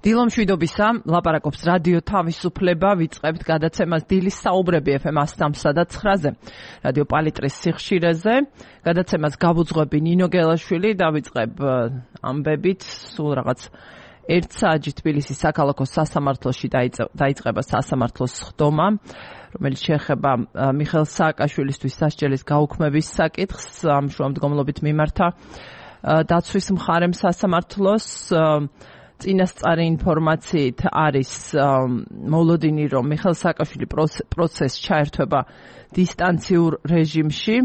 დილომშვიდობისა, ლაპარაკობს რადიო თავისუფლება, ვიწყებთ გადაცემას დილის საუბრები FM 103 და 9-ზე, რადიო პალიტრის სიხშირეზე. გადაცემას გავუძღვები ნინო გელაშვილი და ვიწყებ ამბებით, სულ რაღაც 1 საათი თბილისის საქალაქო სასამართლოში დაიწყება სასამართლოს ხდომა, რომელიც შეეხება მიხეილ სააკაშვილისთვის სასჯელის გაუქმების საკითხს, ამ შუამდგომლობით მიმართა დაცვის მხარემ სასამართლოს. წინასწარი ინფორმაციით არის მოლოდინი, რომ მიხეილ სააკაშვილი პროცესს ჩაერთვება დისტანციურ რეჟიმში.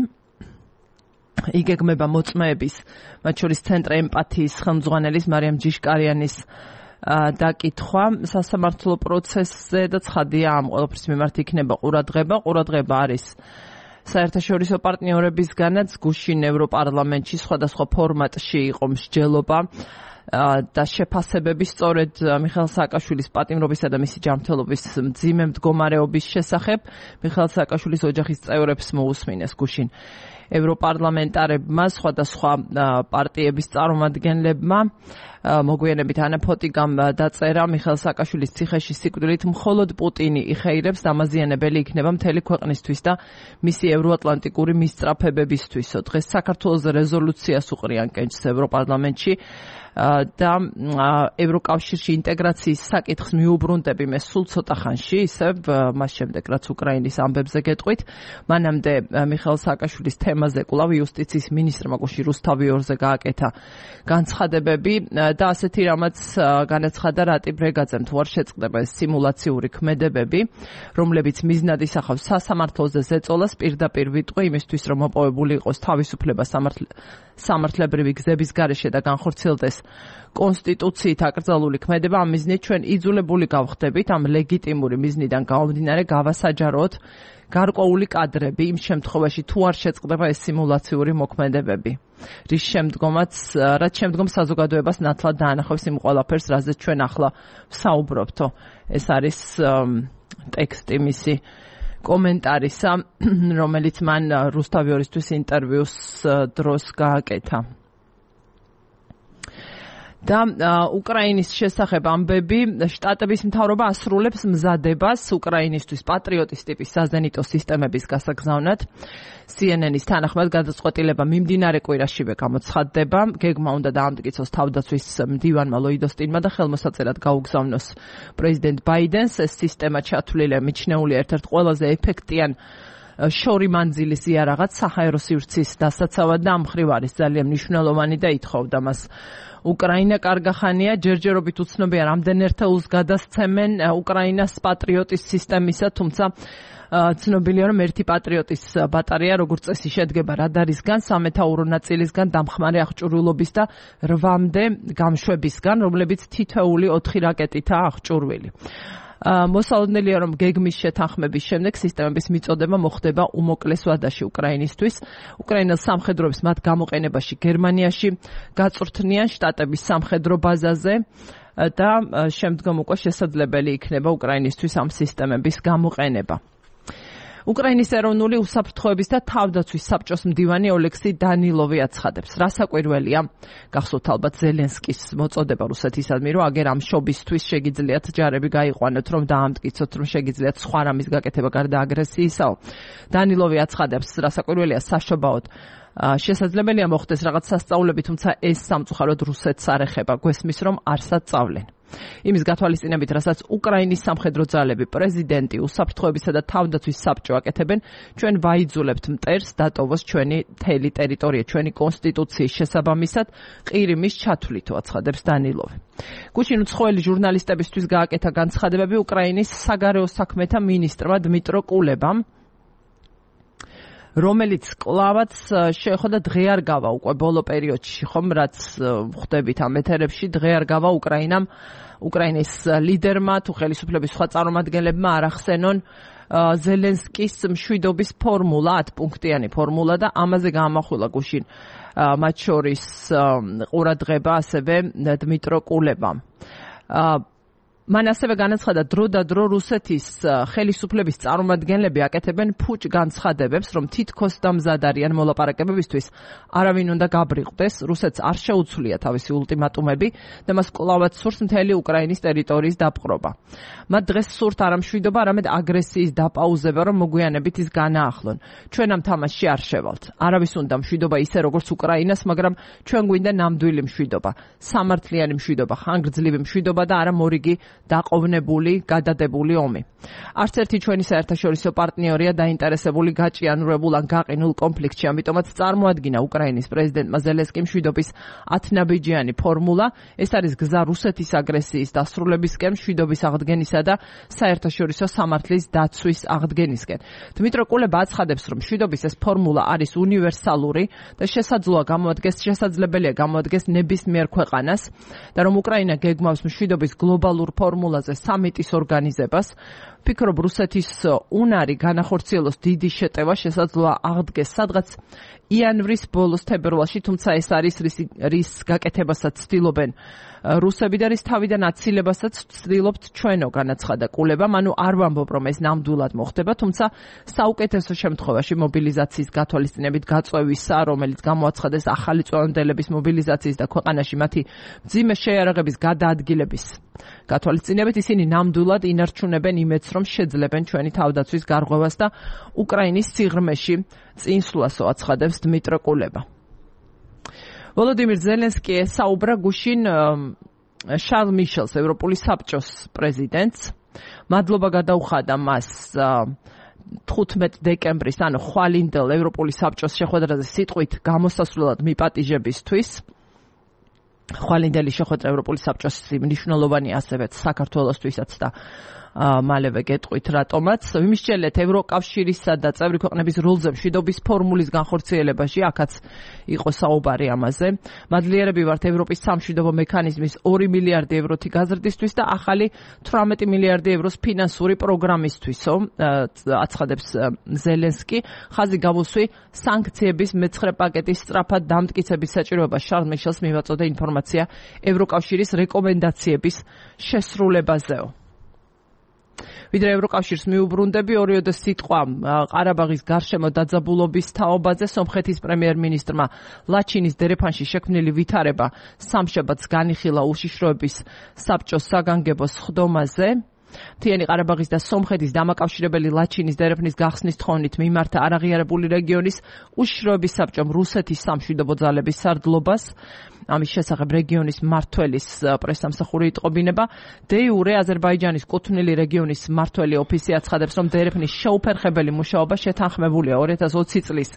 იგეგმება მოწმეების, მათ შორის ცენტრ ემპათიის ხელმძღვანელის მარიამ ჯიშკარიანის დაკითხვა სასამართლო პროცესზე და ცხადია, ამ ყველაფრის მიმართ იქნება ყურადღება. ყურადღება არის საერთაშორისო პარტნიორებისგანაც, გუშინ ევროპარლამენტში სხვადასხვა ფორმატში იყო მსჯელობა და შეფასებები სწორედ მიხეილ სააკაშვილის პატიმრობისა და მისი ჯანმრთელობის მძიმე მდგომარეობის შესახებ. მიხეილ სააკაშვილის ოჯახის წევრებს მოусმინეს გუშინ ევროპარლამენტარებმა, სხვადასხვა პარტიების წარმომადგენლებმა. მოგვიანებით ანა ფოტიგამ დაწერა, მიხეილ სააკაშვილის ციხეში სიკვდილით მხოლოდ პუტინი იხეირებს, დამაზიანებელი იქნება მთელი ქვეყნისთვის და მისი ევროატლანტიკური მისწრაფებებისთვისო. დღეს საქართველოს რეზოლუციას უყრიან კენჭს ევროპარლამენტში და ევროკავშირში ინტეგრაციის საკითხს მიუბრუნდები მე სულ ცოტა ხანში, ისევ მას შემდეგ რაც უკრაინის ამბებზე გეტყვით. მანამდე მიხეილ სააკაშვილის თემაზე კვლავ იუსტიციის მინისტრმა გუშინ რუსთავიორზე გააკეთა განცხადებები და ასეთი რამაც განაცხადა რატი ბრეგაძემ, თუ არ შეწყდება ეს სიმულაციური ქმედებები, რომლებიც მიზნად ისახავს სასამართლოზე ზეწოლას, პირდაპირ ვიტყვი იმისთვის, რომ მოპოვებული იყოს თავისუფლება სამართლებრივი გზების გარეშე და განხორციელდეს კონსტიტუციით აკრძალული ქმედება. ამ მიზნით ჩვენ იძულებული გავხდებით, ამ ლეგიტიმური მიზნიდან გამომდინარე გავასაჯაროთ გარკვეული კადრები იმ შემთხვევაში, თუ არ შეწყდება ეს სიმულაციური მოქმედებები, რაც შემდგომ საზოგადოებას ნათლად დაანახავს იმ ყველაფერს, რაზეც ჩვენ ახლა ვსაუბრობთო. ეს არის ტექსტი მისი კომენტარისა, რომელიც მან რუსთავიორისთვის ინტერვიუს დროს გააკეთა. და უკრაინის შესახებ ამბები, შტატების მთავრობა ასრულებს მზადებას უკრაინისთვის პატრიოტის ტიპის საზენიტო სისტემების გასაგზავნად. CNN-ის თანახმად გადაწყვეტილება მიმდინარე კვირაშივე გამოცხადდება. გეგმა უნდა დაამტკიცოს თავდაცვის მდივანმა ლოიდოსტინმა და ხელმოსაწერად გაუგზავნოს პრეზიდენტ ბაიდენს. ეს სისტემა ჩათვლილია მიჩნეულია ერთ-ერთ ყველაზე ეფექტიან შორი მანძილის იარაღად საჰაერო სივრცის დასაცავად და ამ მხრივ არის ძალიან მნიშვნელოვანი და ითხოვდა მას უკრაინა. კარგახანია, ჯერჯერობით უცნობია რამდენ ერთეულს გადასცემენ უკრაინას პატრიოტის სისტემისა, თუმცა ცნობილია, რომ ერთი პატრიოტის ბატარეა როგორც წესი შედგება რადარისგან, სამეთაურო ნაწილისგან, დამხმარე აღჭურვილობის და 8-მდე გამშვებისგან, რომლებიც თითოეული 4 რაკეტითაა აღჭურვილი. მოსალოდნელია, რომ გეგმის შეთანხმების შემდეგ სისტემების მიწოდება მოხდება უმოკლეს ვადაში უკრაინისთვის. უკრაინელ სამხედროებს მათ გამოყენებაში გერმანიაში გაწვრთნიან შტატების სამხედრო ბაზაზე და შემდგომ უკვე შესაძლებელი იქნება უკრაინისთვის ამ სისტემების გამოყენება. უკრაინის ეროვნული უსაფრთხოების და თავდაცვის საბჭოს მდივანი ოლექსი დანილოვი აცხადებს, რა საკვირველია, გახსოვთ ალბათ ზელენსკის მოწოდება რუსეთისადმი, რომ აგერ ამ შობისთვის შეგიძლიათ ჯარები გაიყვანოთ, რომ დაამტკიცოთ, რომ შეგიძლიათ სხვა რამის გაკეთება გარდა აგრესიისაო. დანილოვი აცხადებს, რა საკვირველია, საშობაოდ შესაძლებელია მოხდეს რაღაც სასწაულები, თუმცა ეს სამწუხაროდ რუსეთს არ ეხება, გვესმის, რომ არსად სწავლენ. იმის გათვალისწინებით, რასაც უკრაინის სამხედრო ძალები, პრეზიდენტი, უსაფრთხოებისა და თავდაცვის საბჭო აკეთებენ, ჩვენ ვაიძულებთ მტერს დატოვოს ჩვენი მთელი ტერიტორია, ჩვენი კონსტიტუციის შესაბამისად ყირიმის ჩათვლითო, აცხადებს დანილოვი. გუშინ უცხოელი ჟურნალისტებისთვის გააკეთა განცხადებები უკრაინის საგარეო საქმეთა მინისტრმა დმიტრო კულებამ, რომელიც კლავაც შეეხოდა დღე არ გავა უკვე ბოლო პერიოდში, ხომ რაც ხვდებით ამ ეთერებში, დღე არ გავა უკრაინის ლიდერმა თუ ხელისუფლების სხვა წარმომადგენლებმა არ ახსენონ ზელენსკის მშვიდობის ფორმულა, 10 პუნქტიანი ფორმულა და ამაზე გაამახვილა გუშინ მათ შორის ყურადღება ასევე დმიტრო კულებამ. მან ასევე განაცხადა დრო და დრო რუსეთის ხელისუფლების წარმომადგენლები აკეთებენ ფუჭ განცხადებებს, რომ თითქოს დამზად არიან მოლაპარაკებებისთვის არავინ უნდა გაბრიყდეს, რუსეთს არ შეუცვლია თავისი ულტიმატუმები და მას კვლავაც სურს მთელი უკრაინის ტერიტორიის დაპყრობა. მათ დღეს სურთ არა მშვიდობა, არამედ აგრესიის დაპაუზება, რომ მოგვიანებით ის განაახლონ. ჩვენ ამ თამაშში არ შევალთ. არავის უნდა მშვიდობა ისე როგორც უკრაინას, მაგრამ ჩვენ გვინდა ნამდვილი მშვიდობა, სამართლიანი მშვიდობა, ხანგრძლივი მშვიდობა და არა მორიგი დაყოვნებული, გადადებული ომი. არც ერთი ჩვენი საერთაშორისო პარტნიორია დაინტერესებული გაჭიანურებულ ან გაყინულ კონფლიქტში, ამიტომაც წარმოადგინა უკრაინის პრეზიდენტმა ზელენსკიმ მშვიდობის 10 ნაბიჯიანი ფორმულა. ეს არის გზა რუსეთის აგრესიის დასრულებისკენ, მშვიდობის აღდგენისა და საერთაშორისო სამართლის დაცვის აღდგენისკენ. დმიტრო კულება აცხადებს, რომ მშვიდობის ეს ფორმულა არის უნივერსალური და შესაძლებელია გამოადგეს ნებისმიერ ქვეყანას და რომ უკრაინა გეგმავს მშვიდობის გლობალურ ფორმულაზე სამიტის ორგანიზებას. ფიქრობ, რუსეთის უნარი განახორციელოს დიდი შეტევა შესაძლოა აღდგეს სადღაც იანვრის ბოლოს თებერვალში, თუმცა ეს არის რის გაკეთებასაც ცდილობენ რუსები და რის თავიდან აცილებასაც ცდილობთ ჩვენო, განაცხადა კულება. მანუ არ ვამბობ, რომ ეს ნამდვილად მოხდება, თუმცა საუკეთესო შემთხვევაში მობილიზაციის გათვალისწინებით გაწევისა, რომელიც გამოაცხადეს ახალი წინადელების მობილიზაციის და ქვეყანაში მათი მძიმე შეიარაღების გადაადგილების გათვალისწინებით, ისინი ნამდვილად ინარჩუნებენ იმედს, რომ შეძლებენ ჩვენი თავდაცვის გარღვევას და უკრაინის სიღრმეში წინსვლასო, აცხადებს დმიტრო კულება. ვოლოდიმირ ზელენსკი ესაუბრა გუშინ შარლ მიშელს, ევროპული საბჭოს პრეზიდენტს. მადლობა გადაუხადა მას 15 დეკემბრის, ანუ ხვალინდელ ევროპული საბჭოს შეხვედრაზე სიტყვით გამოსასვლელად მიპატიჟებისთვის. ხვალინდელი შეხვედრა ევროპული საბჭოს მნიშვნელოვანი ასევე საქართველოსთვისაც და მალევე გეტყვით რატომაც. ვიმსჯელეთ ევროკავშირისა და წევრი ქვეყნების როლზე მშვიდობის ფორმულის განხორციელებაში, აქაც იყო საუბარი ამაზე. მადლიერები ვართ ევროპის სამშვიდობო მექანიზმის 2 მილიარდი ევროთი გაზრდისთვის და ახალი 18 მილიარდი ევროს ფინანსური პროგრამისთვისო, აცხადებს ზელენსკი. ხაზი გამოსვი სანქციების მეცხრე პაკეტის სწრაფად დამტკიცების საჭიროება. შარლ მიშელს მივაწოდა ინფორმაცია ევროკავშირის რეკომენდაციების შესრულებაზეო. ვიდრე ევროკავშირს მიუბრუნდები, ორიოდე სიტყვა ყარაბაღის გარშემო დაძაბულობის თაობაზე. სომხეთის პრემიერ-მინისტრმა ლაჩინის დერეფანში შექმნილი ვითარება სამშაბათს განიხილა უშიშროების საბჭოს საგანგებო სხდომაზე. მთიანი ყარაბაღის და სომხეთის დამაკავშირებელი ლაჩინის დერეფნის გახსნის თხოვნით მიმართა არაღიარებული რეგიონის უშიშროების საბჭომ რუსეთის სამშვიდობო ძალების სარდლობას. ამის შესახებ რეგიონის მმართველის პრესსამსახური იტყობინება. დე იურე აზერბაიჯანის კუთვნილი რეგიონის მმართველი ოფისი აცხადებს, რომ დერეფნის შეუფერხებელი მუშაობა შეთანხმებულია 2020 წლის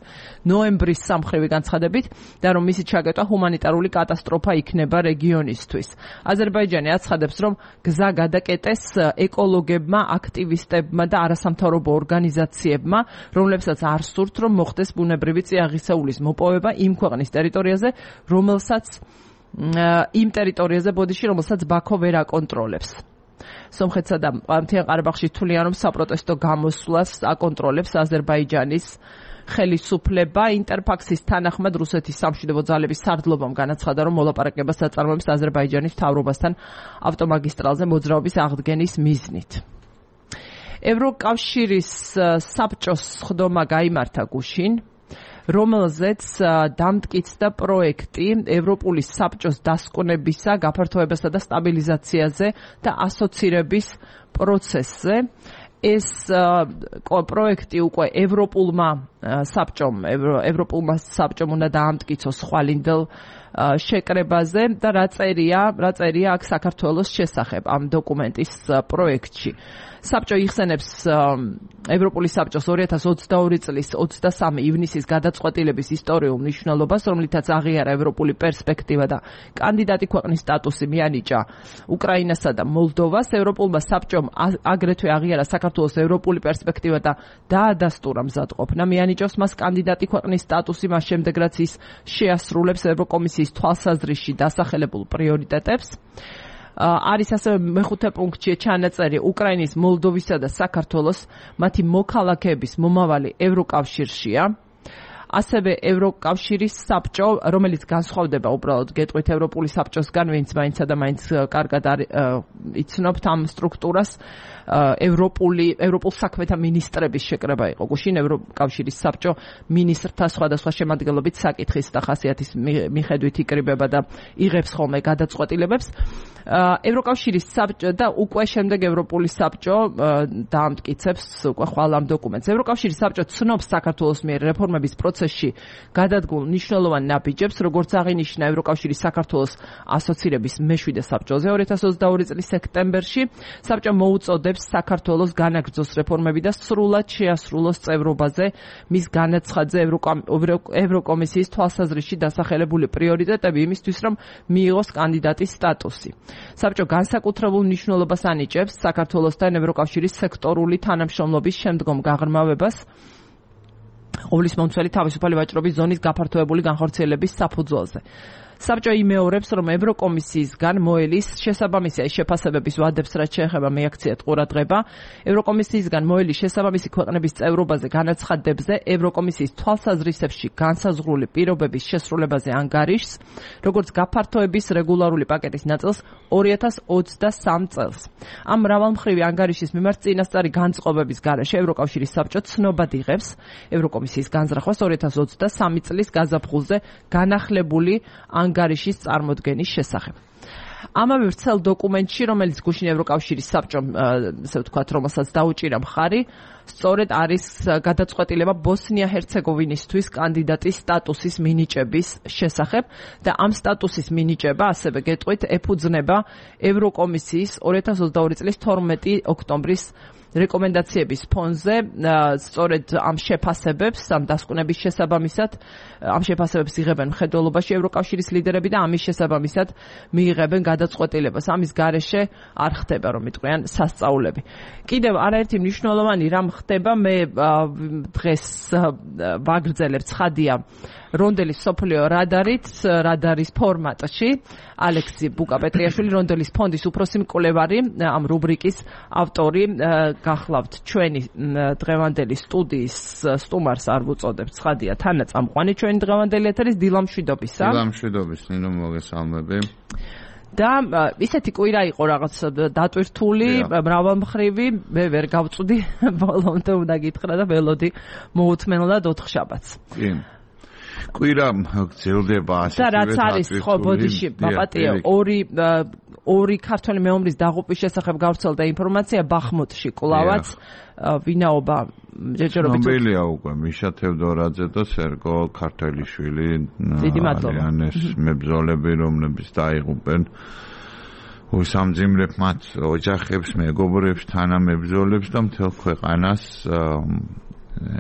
ნოემბრის სამხრივი განცხადებით და რომ მისი ჩაგეტვა ჰუმანიტარული კატასტროფა იქნება რეგიონისთვის. აზერბაიჯანი აცხადებს, რომ გზა გადაკეტეს ეკოლოგებმა, აქტივისტებმა და არასამთავრობო ორგანიზაციებმა, რომლებსაც არ სურთ, რომ მოხდეს ბუნებრივი წიაღისეულის მოპოვება იმ ქვეყნის ტერიტორიაზე, იმ ტერიტორიაზე ბოდიში, რომელსაც ბაქო ვერ აკონტროლებს. სომხეთსა და მთიან ყარაბაღში თვლიან, რომ საპროტესტო გამოსვლას აკონტროლებს აზერბაიჯანის ხელისუფლება. ინტერფაქსის თანახმად რუსეთის სამშვიდობო ძალების სარდლობამ განაცხადა, რომ მოლაპარაკებას აწარმოებს აზერბაიჯანის მთავრობასთან ავტომაგისტრალზე მოძრაობის აღდგენის მიზნით. ევროკავშირის საბჭოს სხდომა გაიმართა გუშინ, რომელზეც დამტკიცდა პროექტი ევროპული საბჭოს დასკვნებისა, გაფართოებასა და სტაბილიზაციაზე და ასოცირების პროცესზე. ეს პროექტი უკვე ევროპულმა საბჭომ უნდა დაამტკიცოს ხვალინდელ შეკრებაზე და რა წერია აქ საქართველოს შესახებ ამ დოკუმენტის პროექტში. საბჭო იხსენებს ევროპული საბჭოს 2022 წლის 23 ივნისის გადაწყვეტილების ისტორიულ მნიშვნელობას, რომლითაც აღიარა ევროპული პერსპექტივა და კანდიდატი ქვეყნის სტატუსი მიანიჭა უკრაინასა და მოლდოვას. ევროპულმა საბჭომ აგრეთვე აღიარა საქართველოს ევროპული პერსპექტივა და დაადასტურა მზადყოფნა. მიანიჭოს მას კანდიდატი ქვეყნის სტატუსი მას შემდეგ, რაც ის შეასრულებს ევროკომისიის თვალსაზრისში დასახელებულ პრიორიტეტებს. არის ასევე მეხუთე პუნქტში ჩანაწერი უკრაინის, მოლდოვისა და საქართველოს მათი მოქალაქეების მომავალი ევროკავშირშია. ასევე ევროკავშირის საბჭო, რომელიც განსხვავდება უბრალოდ გეტყვით ევროპული საბჭოსგან, ვინც მაინცა და მაინც კარგად იცნობთ ამ სტრუქტურას, ევროპულ საქმეთა მინისტრების შეკრება იყო. გუშინ ევროკავშირის საბჭო მინისტრთა სხვადასხვა შემადგენლობით საკითხის და ხასიათის მიხედვით იკრიბება და იღებს ხოლმე გადაწყვეტილებებს. ევროკავშირის საბჭო და უკვე შემდეგ ევროპული საბჭო დაამტკიცებს უკვე ხვალ ამ დოკუმენტს. ევროკავშირის საბჭო ცნობს საქართველოს მიერ რეფორმების პროცესში გადადგმულ მნიშვნელოვან ნაბიჯებს, როგორც აღინიშნა ევროკავშირის საქართველოს ასოცირების მე-7 საბჭოზე 2022 წლის სექტემბერში. საბჭო მოუწოდებს საქართველოს განაგრძოს რეფორმები და სრულად შეასრულოს წევრობაზე მის განაცხადზე ევროკომისიის თვალსაზრისში დასახელებული პრიორიტეტები იმისთვის, რომ მიიღოს კანდიდატის სტატუსი. საბჭო განსაკუთრებულ მნიშვნელობას ანიჭებს საქართველოსთან ევროკავშირის სექტორული თანამშრომლობის შემდგომ გაღრმავებას ყოვლისმომცველი თავისუფალი ვაჭრობის ზონის გაფართოებული განხორციელების საფუძველზე. საბჭო იმეორებს, რომ ევროკომისიისგან მოელის შესაბამისი შეფასებების ვადებს, რაც შეეხება მეაქციათ ყურადღება, ევროკომისიისგან მოელის შესაბამისი ქვეყნების წევრობაზე განაცხადებზე, ევროკომისიის თვალსაზრისებში განსაზღვრული პირობების შესრულებაზე ანგარიშს, როგორც გაფართოების რეგულარული პაკეტის ნაწილს 2023 წელს. ამ მრავალმხრივი ანგარიშის მიმართ წინასწარი განწყობების გარეშე ევროკავშირის საბჭო ცნობად იღებს ევროკომისიის განზრახვას 2023 წლის გაზაფხულზე განახლებული ანგარიშის წარმოდგენის შესახებ. ამავე ვრცელ დოკუმენტში, რომელიც გუშინ ევროკავშირის საბჭომ, ასე ვთქვათ, რომელსაც დაუჭირა მხარი, სწორედ არის გადაწყვეტილება ბოსნია-ჰერცეგოვინისთვის კანდიდატის სტატუსის მინიჭების შესახებ და ამ სტატუსის მინიჭება, ასევე გეტყვით, ეფუძნება ევროკომისიის 2022 წლის 12 ოქტომბრის რეკომენდაციების ფონზე, სწორედ ამ შეფასებებს, ამ დასკვნების შესაბამისად, ამ შეფასებებს იღებენ მხედველობაში ევროკავშირის ლიდერები და ამის შესაბამისად მიიღებენ გადაწყვეტილებას. ამის გარეშე არ ხდება, რომ იტყვიან, სასწაულები. კიდევ არაერთი მნიშვნელოვანი რამ ხდება, მე დღეს ვაგრძელებ ცხადია რონდელის სოფლიო რადარის ფორმატში, ალექსი ბუკა-პეტრიაშვილი, რონდელის ფონდის უფროსი მკვლევარი, ამ რუბრიკის ავტორი, გახლავთ ჩვენი დღევანდელი სტუდიის სტუმარს არ ვუწოდებთ, ცხადია თანაწამყვანი ჩვენი დღევანდელი ეთერის დილამშვიდობისა. დილამშვიდობის, ნინო, მოგესალმები. და ისეთი კვირა იყო რაღაც დატვირთული, მრავალმხრივი, მე ვერ გავწვდი, ბოლომდე უნდა გითხრა და ველოდი მოუთმენლად 4 შაბათს. კი. კვირა გრძელდება ასე. და რაც არის, ხო, ბოდიში, პაპატიო, ორი ქართველი მეომრის დაღუპვის შესახებ გავრცელდა ინფორმაცია ბახმუტში კლავაც, ვინაობა ჯერჯერობით ცნობილია უკვე მიშა თევდორაძე და სერგო ქართველიშვილი, არიანეს მებრძოლები, რომლებიც დაიღუპენ უსამძიმრებ მათ ოჯახებს, მეგობრებს, თანამებრძოლებს და მთელ ქვეყანას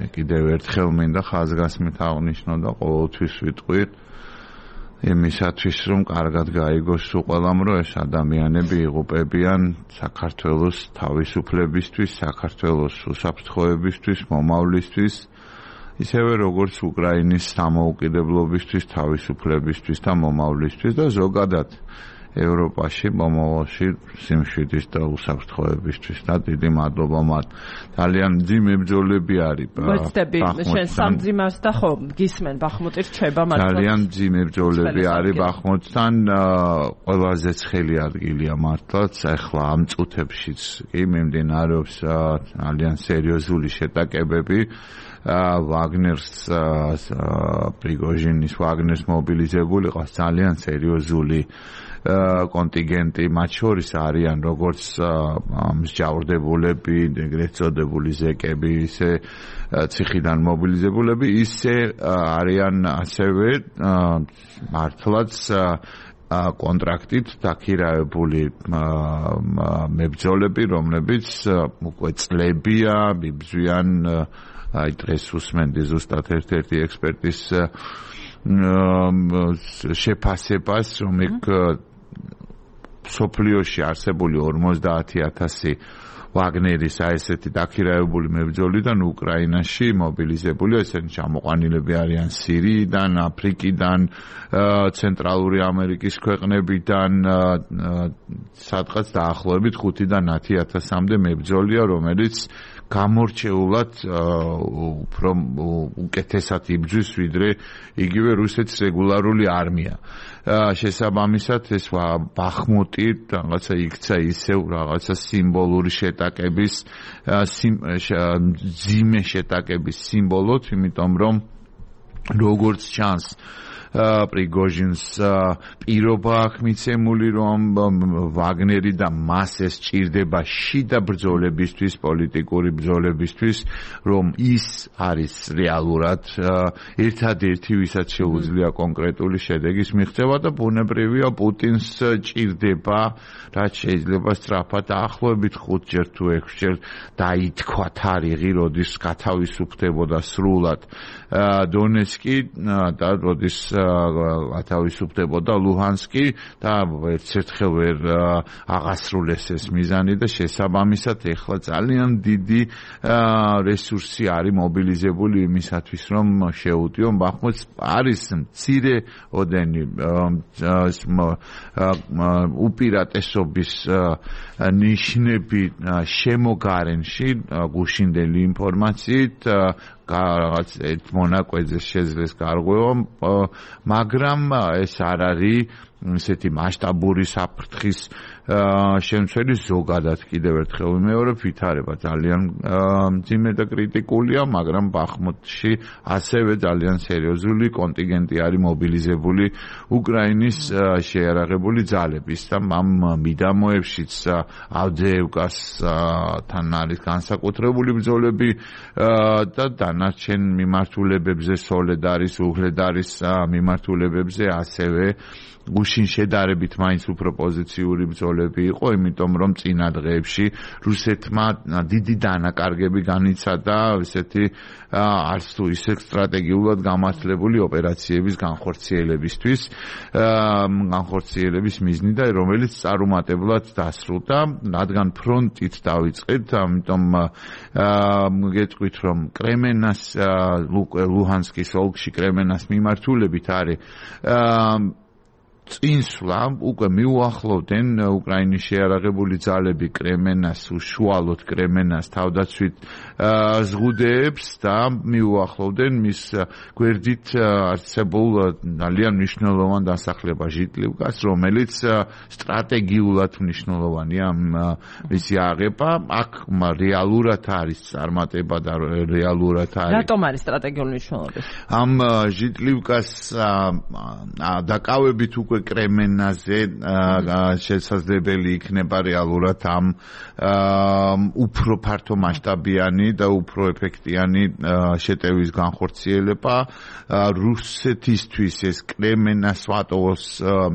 კიდევ ერთხელ მინდა ხაზგასმით აღნიშნო და ყოველთვის ვიტყვით იმისათვის, რომ კარგად გაიგოს სულ ყველამ, რომ ეს ადამიანები იღუპებიან საქართველოს თავისუფლებისთვის, საქართველოს უსაფრთხოებისთვის, მომავლისთვის, ისევე როგორც უკრაინის სამოუკიდებლობისთვის, თავისუფლებისთვის და მომავლისთვის და ზოგადად ევროპაში, მომავალში სიმშვიდის და უსაფრთხოებისთვის და დიდი მადლობა მათ. ძალიან მძიმე ბრძოლები არის. ვეცდები, შენ სამძიმას და ხო, გისმენ ბახმუტი რჩება მართლა. ძალიან მძიმე ბრძოლები არის ბახმუტთან, ყველაზე ცხელი ადგილია მართლაც, ახლა ამ წუთებშიც კი მიმდინარეობს ძალიან სერიოზული შეტაკებები. ვაგნერს პრიგოჟინის ვაგნერს მობილიზებული ყავს ძალიან სერიოზული კონტინგენტი, მათ შორის არიან როგორც მსჯავრდებულები, ეგრეთ წოდებული ზეკები, ისე ციხიდან მობილიზებულები, ისე არიან ასევე მართლაც კონტრაქტით დაქირავებული მებრძოლები, რომლებიც უკვე წლებია მიბრძვიან, აი დღეს უსმენდი ზუსტად ერთ-ერთი ექსპერტის შეფასებას, რომ იქ სოფლიოში არსებული 50,000 ვაგნერის ესეთი დაქირავებული მებრძოლიდან უკრაინაში მობილიზებული, ესენი ჩამოყვანილები არიან სირიიდან, აფრიკიდან, ცენტრალური ამერიკის ქვეყნებიდან, სადღაც დაახლოებით 5-10,000-მდე მებრძოლია, რომელიც გამორჩეულად უფრო უკეთესად იბრძვის ვიდრე იგივე რუსეთის რეგულარული არმია. შესაბამისად ეს ბახმუტი რაღაცა იქცა ისევ რაღაცა სიმბოლური შეტაკების ძიმე შეტაკების სიმბოლოდ, იმიტომ რომ როგორც ჩანს პრიგოჟინს პირობა აქვს მიცემული, რომ ვაგნერი და მას ეს ჭირდება შიდა ბრძოლებისთვის, პოლიტიკური ბრძოლებისთვის, რომ ის არის რეალურად ერთადერთი, ვისაც შეუძლია კონკრეტული შედეგის მიღწევა და ბუნებრივია პუტინს ჭირდება, რაც შეიძლება სწრაფად დაახლოებით 5-ჯერ თუ 6-ჯერ დაითქვა თარიღი, როდის გათავისუფლდებოდა სრულად დონეცკი და როდის ათავისუფლდებოდა ლუჰანსკი და ერთ-ერთხელ ვერ აღასრულეს ეს მიზანი და შესაბამისად ეხლა ძალიან დიდი რესურსი არის მობილიზებული იმისათვის, რომ შეუტიონ ბახმუტს. არის მცირე ოდენი უპირატესობის ნიშნები შემოგარენში გუშინდელი ინფორმაციით, რაღაც ერთ მონაკვეთზე შეძლეს გარღვევა, მაგრამ ეს არ არის ესეთი მასშტაბური საფრთხის შემცველი. ზოგადად კიდევ ერთხელ ვიმეორებ, ვითარება ძალიან მძიმე და კრიტიკულია, მაგრამ ბახმუტში ასევე ძალიან სერიოზული კონტინგენტი არის მობილიზებული უკრაინის შეიარაღებული ძალების და ამ მიდამოებშიც ავდეევკასთან არის განსაკუთრებული ბრძოლები და დანარჩენ მიმართულებებზე, სოლედარის, უღლედარის მიმართულებებზე ასევე გუშინ შედარებით მაინც უფრო პოზიციური ბრძოლები იყო, იმიტომ რომ წინა დღეებში რუსეთმა დიდი დანაკარგები განიცადა ესეთი არც თუ ისე სტრატეგიულად გამართლებული ოპერაციების განხორციელების მიზნი და რომელიც წარუმატებლად დასრულდა, რადგან ფრონტით დავიწყეთ, ამიტომ გეტყვით, რომ კრემენას ლუჰანსკის ოლქში კრემენას მიმართულებით არის წინსვლა, უკვე მიუახლოვდნენ უკრაინის შეიარაღებული ძალები კრემენას, უშუალოდ კრემენას თავდაცვით ზღუდეებს და მიუახლოვდნენ მის გვერდით არსებულ ძალიან მნიშვნელოვან დასახლებას ჟიტლივკას, რომელიც სტრატეგიულად მნიშვნელოვანია მისი აღება. აქ რეალურად არის წარმატება და რეალურად არის. რატომ არის სტრატეგიული მნიშვნელობა? ამ ჟიტლივკას დაკავებით უკვე კრემენაზე შესაძლებელი იქნება რეალურად ამ უფრო ფართო მასშტაბიანი და უფრო ეფექტიანი შეტევის განხორციელება. რუსეთისთვის ეს კრემენას სვატოვოს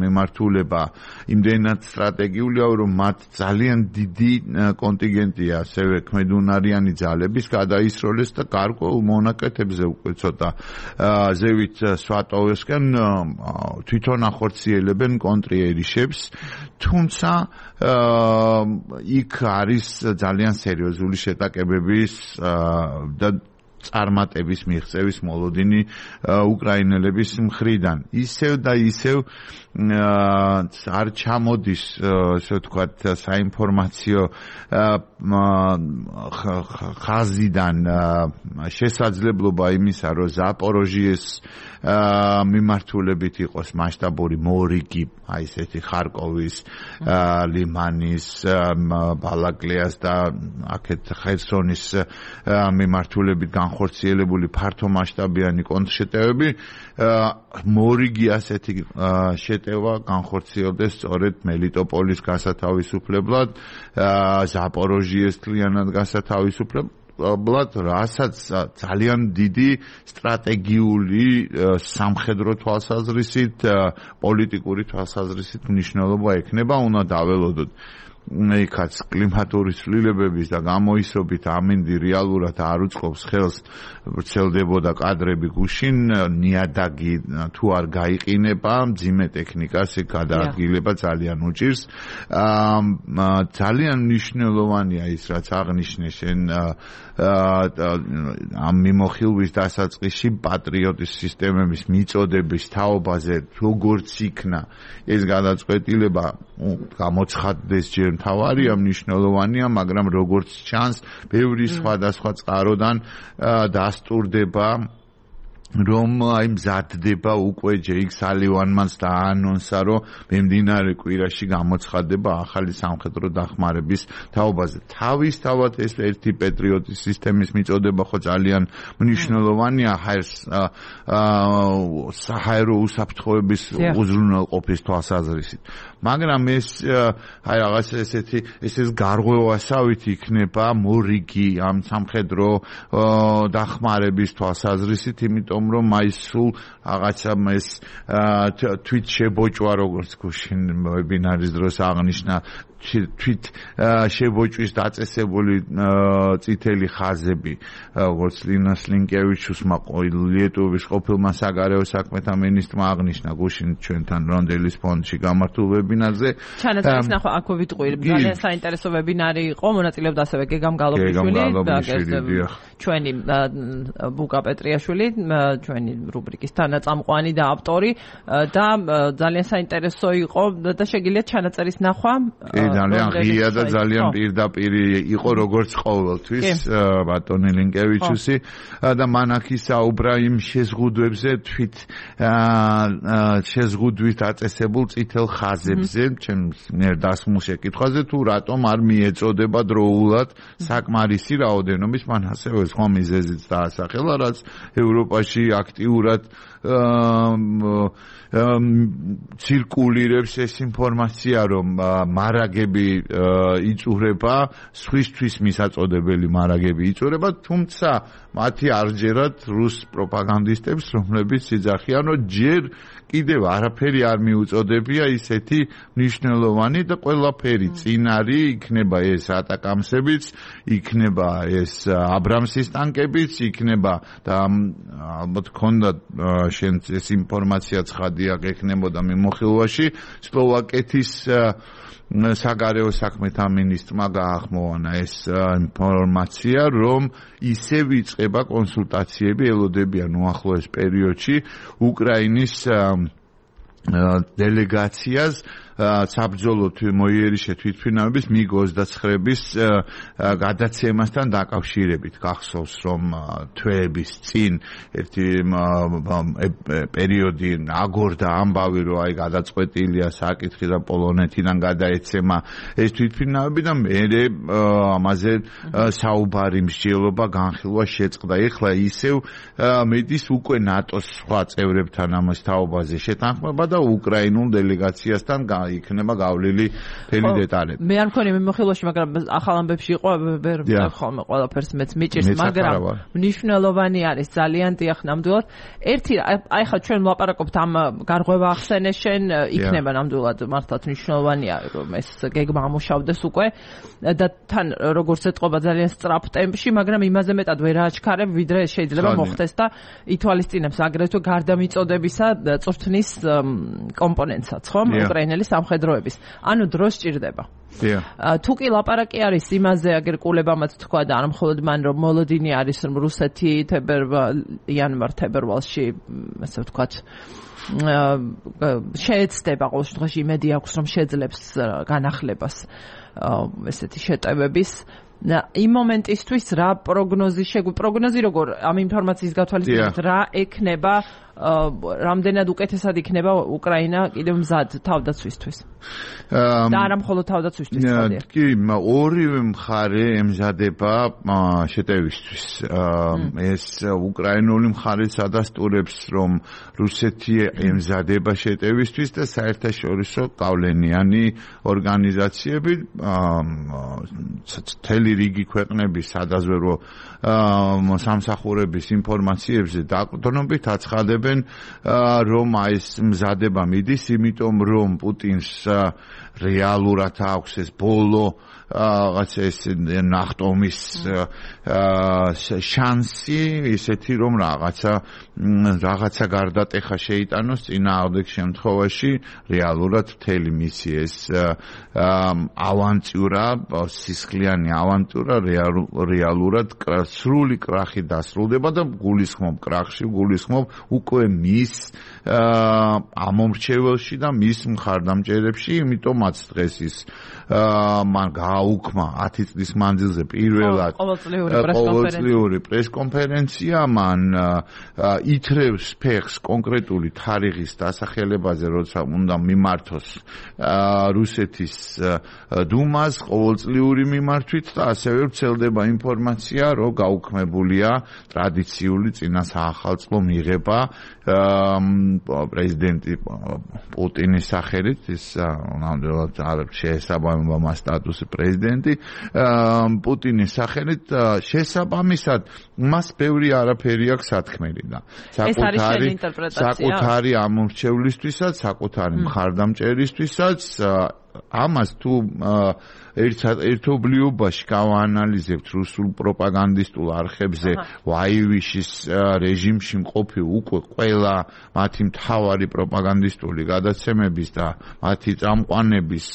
მიმართულება იმდენად სტრატეგიულია, რომ მათ ძალიან დიდი კონტინგენტია ასევე ქმედუნარიანი ძალების გადაისროლეს და გარკვეულ მონაკეთებზე უკვე ცოტა ზევით სვატოვოსკენ თვითონ ახორციელებენ კონტრიერიშებს, თუმცა იქ არის ძალიან სერიოზული შეტაკებების და წარმატების მიღწევის მოლოდინი უკრაინელების მხრიდან. ისევ და ისევ არ ჩამოდის, ასე ვთქვათ, საინფორმაციო ხაზიდან შესაძლებლობა იმისა, რომ ზაპოროჟიეს მიმართულებით იყოს მასშტაბური მორიგი, აი ესეთი ხარკოვის, ლიმანის, ბალაკლეას და აქეთ ხერსონის მიმართულებით განხორციელებული ფართო მასშტაბიანი კონტრშეტევები, მორიგი ასეთი შეტევა განხორციელდეს სწორედ მელიტოპოლის გასათავისუფლებლად, ზაპოროჟიეს თლიანად გასათავისუფლებლად, რასაც ძალიან დიდი სტრატეგიული სამხედრო თვალსაზრისით, პოლიტიკური თვალსაზრისით მნიშვნელობა ექნება, უნდა დაველოდოთ. იქაც კლიმატური ცვლილებების და გამოისრობით ამინდი რეალურად არ უწყობს ხელს, ვრცელდებოდა კადრები გუშინ, ნიადაგი თუ არ გაიყინება, მძიმე ტექნიკას გადაადგილება ძალიან უჭირს. ძალიან მნიშვნელოვანია ის, რაც აღნიშნე შენ ამ მიმოხილვის დასაწყისში პატრიოტის სისტემების მიწოდების თაობაზე, როგორც იქნა ეს გადაწყვეტილება, გამოცხადდეს ჯერ ვერ მთავარია, მნიშვნელოვანია, მაგრამ როგორც ჩანს, ბევრი სხვადასხვა წყაროდან დასტურდება რომ აი მზადდება უკვე ჯეიკ სალივანმანს დაანონსა, რომ მიმდინარე კვირაში გამოცხადება ახალი სამხედრო დახმარების თაობაზე. თავისთავად ეს ერთი პატრიოტის სისტემის მიწოდება ხო ძალიან მნიშვნელოვანია საჰაერო უსაფრთხოების უზრუნველყოფის თვალსაზრისით. მაგრამ ეს აი რაღაც ეს გარღვევასავით იქნება მორიგი ამ სამხედრო დახმარების თვალსაზრისით, იმიტომ რომ აი სულ რაღაცა ეს თვით შებოჭვა, როგორც გუშინ ვებინარის დროს აღნიშნა, თვით შებოჭვის დაწესებული წითელი ხაზები, როგორც ლინას ლინკევიჩუსმა ლიეტუვის ყოფილმა საგარეო საქმეთა მინისტრმა აღნიშნა გუშინ ჩვენთან რონდელის ფონდში გამართულ ვებინარზე. ჩანაწერის ნახვა აქ ვიტყვი, ძალიან საინტერესო ვებინარი იყო, მონაწილეობდა ასევე გეგამ გალობიშვილი, ჩვენი ბუკა პეტრიაშვილი, ჩვენი რუბრიკის თანაწამყვანი და ავტორი და ძალიან საინტერესო იყო და შეგიძლიათ ჩანაწერის ნახვა. ძალიან ღია და ძალიან პირდაპირ იყო როგორც ყოველთვის ბატონი ლინკევიჩუსი და მან აქ ისაუბრა იმ შეზღუდვებზე, თვით შეზღუდვით აწესებულ წითელ ხაზებზე, ჩემს მიერ დასმულ შეკითხვაზე, თუ რატომ არ მიეწოდება დროულად საკმარისი რაოდენობის, მან ასევე სხვა მიზეზიც დაასახელა, რაც ევროპაში აქტიურად ცირკულირებს ეს ინფორმაცია, რომ მარაგები იწურება, სხვისთვის მისაწოდებელი მარაგები იწურება, თუმცა მათი არჯერად რუს პროპაგანდისტებს, რომლებიც იძახიან, რომ ჯერ კიდევ არაფერი არ მიუწოდებია ისეთი მნიშვნელოვანი და ყველაფერი წინარი, იქნება ეს ატაკამსებიც, იქნება ეს აბრამსის ტანკებიც, იქნება და ალბათ ქონდა შენ ეს ინფორმაცია ცხადია გექნებოდა მიმოხილვაში, სლოვაკეთის საგარეო საქმეთა მინისტრმა გაახმოვანა ეს ინფორმაცია, რომ ისევ იწყება კონსულტაციები, ელოდებიან უახლოეს პერიოდში უკრაინის დელეგაციას საბრძოლო მოიერიშე თვითმფრინავების MiG-29-ის გადაცემასთან დაკავშირებით. გახსოვს, რომ თვეების წინ ერთი პერიოდი აგორდა ამბავი, რომ აი გადაწყვეტილია საკითხი და პოლონეთიდან გადაეცემა ეს თვითმფრინავები და მერე ამაზე საუბარი მსჯელობა განხილვა შეწყდა. ეხლა ისევ მედის უკვე ნატოს სხვა წევრებთან ამას თაობაზე შეთანხმება და უკრაინულ დელეგაციასთან იქნება გავლილი მთელი დეტალები. მე არ მქონია მიმოხილვაში, მაგრამ ახალ ამბებში იყო, ვერ ხოლმე ყველაფერს მეც მიჭირს, მაგრამ მნიშვნელოვანი არის ძალიან დიახ ნამდვილად. ერთი აი ხა ჩვენ ვლაპარაკობთ ამ გარღვევა ახსენე შენ, იქნება ნამდვილად მართლაც მნიშვნელოვანია, რომ ეს გეგმა ამუშავდეს უკვე და თან როგორც ეთყობა ძალიან სწრაფ ტემპში, მაგრამ იმაზე მეტად ვერ აჩქარებ, ვიდრე შეიძლება მოხდეს და ითვალისწინებს აგრეთვე გარდამიწოდებისა წვრთნის კომპონენტსაც, ხო? უკრაინელი სამხედროების. ანუ დრო სჭირდება. თუ კი ლაპარაკი არის იმაზე, აგერ კულებამაც თქვა და არ მხოლოდ მან, რომ მოლოდინი არის რუსეთი იანვარ-თებერვალში, ასე ვთქვათ, შეეცდება ყოველ შემთხვევაში იმედი აქვს, რომ შეძლებს განახლებას ესეთი შეტევების. იმ მომენტისთვის რა პროგნოზი როგორ ამ ინფორმაციის გათვალისწინებით რა ექნება, რამდენად უკეთესად იქნება უკრაინა კიდევ მზად თავდაცვისთვის და არა მხოლოდ თავდაცვისთვის. კი, ორივე მხარე ემზადება შეტევისთვის. ეს უკრაინული მხარეც ადასტურებს, რომ რუსეთი ემზადება შეტევისთვის და საერთაშორისო გავლენიანი ორგანიზაციები მთელი რიგი ქვეყნების სადაზვერვო სამსახურების ინფორმაციებზე დაყრდნობით აცხადებენ, რომ ეს მზადება მიდის, იმიტომ რომ პუტინს რეალურად აქვს ეს ბოლო რაღაც ეს ნახტომის შანსი ისეთი რომ რაღაცა გარდატეხა შეიტანოს წინააღმდეგ შემთხვევაში რეალურად მთელი მისი ეს ავანტიურა სისხლიანი ავანტიურა რეალურად სრული კრახი დასრულდება და გულისხმობ კრახში გულისხმობ უკვე მის ამომრჩეველში და მის მხარდამჭერებში იმიტომაც დღეს ის მან გააუქმა 10 წლის მანძილზე პირველად ყოველწლიური პრესკონფერენცია მან ითრევს ფეხს კონკრეტული თარიღის დასახელებაზე როცა უნდა მიმართოს რუსეთის დუმას ყოველწლიური მიმართვით და ასევე ვრცელდება ინფორმაცია რომ გაუქმებულია ტრადიციული წინა საახალწლო მიღება პრეზიდენტი პუტინის სახელით ის ნამდვილად არ შეესაბამება მას სტატუსი პრეზიდენტი პუტინის სახელით შესაბამისად მას ბევრი არაფერი აქვს სათქმელი და საკუთარი ამორჩევლისთვისაც საკუთარი მხარდამჭერისთვისაც ამას თუ ერთობლიობაში გავაანალიზებთ რუსულ პროპაგანდისტულ არხებზე ვაივიშის რეჟიმში მყოფი უკვე ყველა მათი მთავარი პროპაგანდისტული გადაცემების და მათი წამყვანების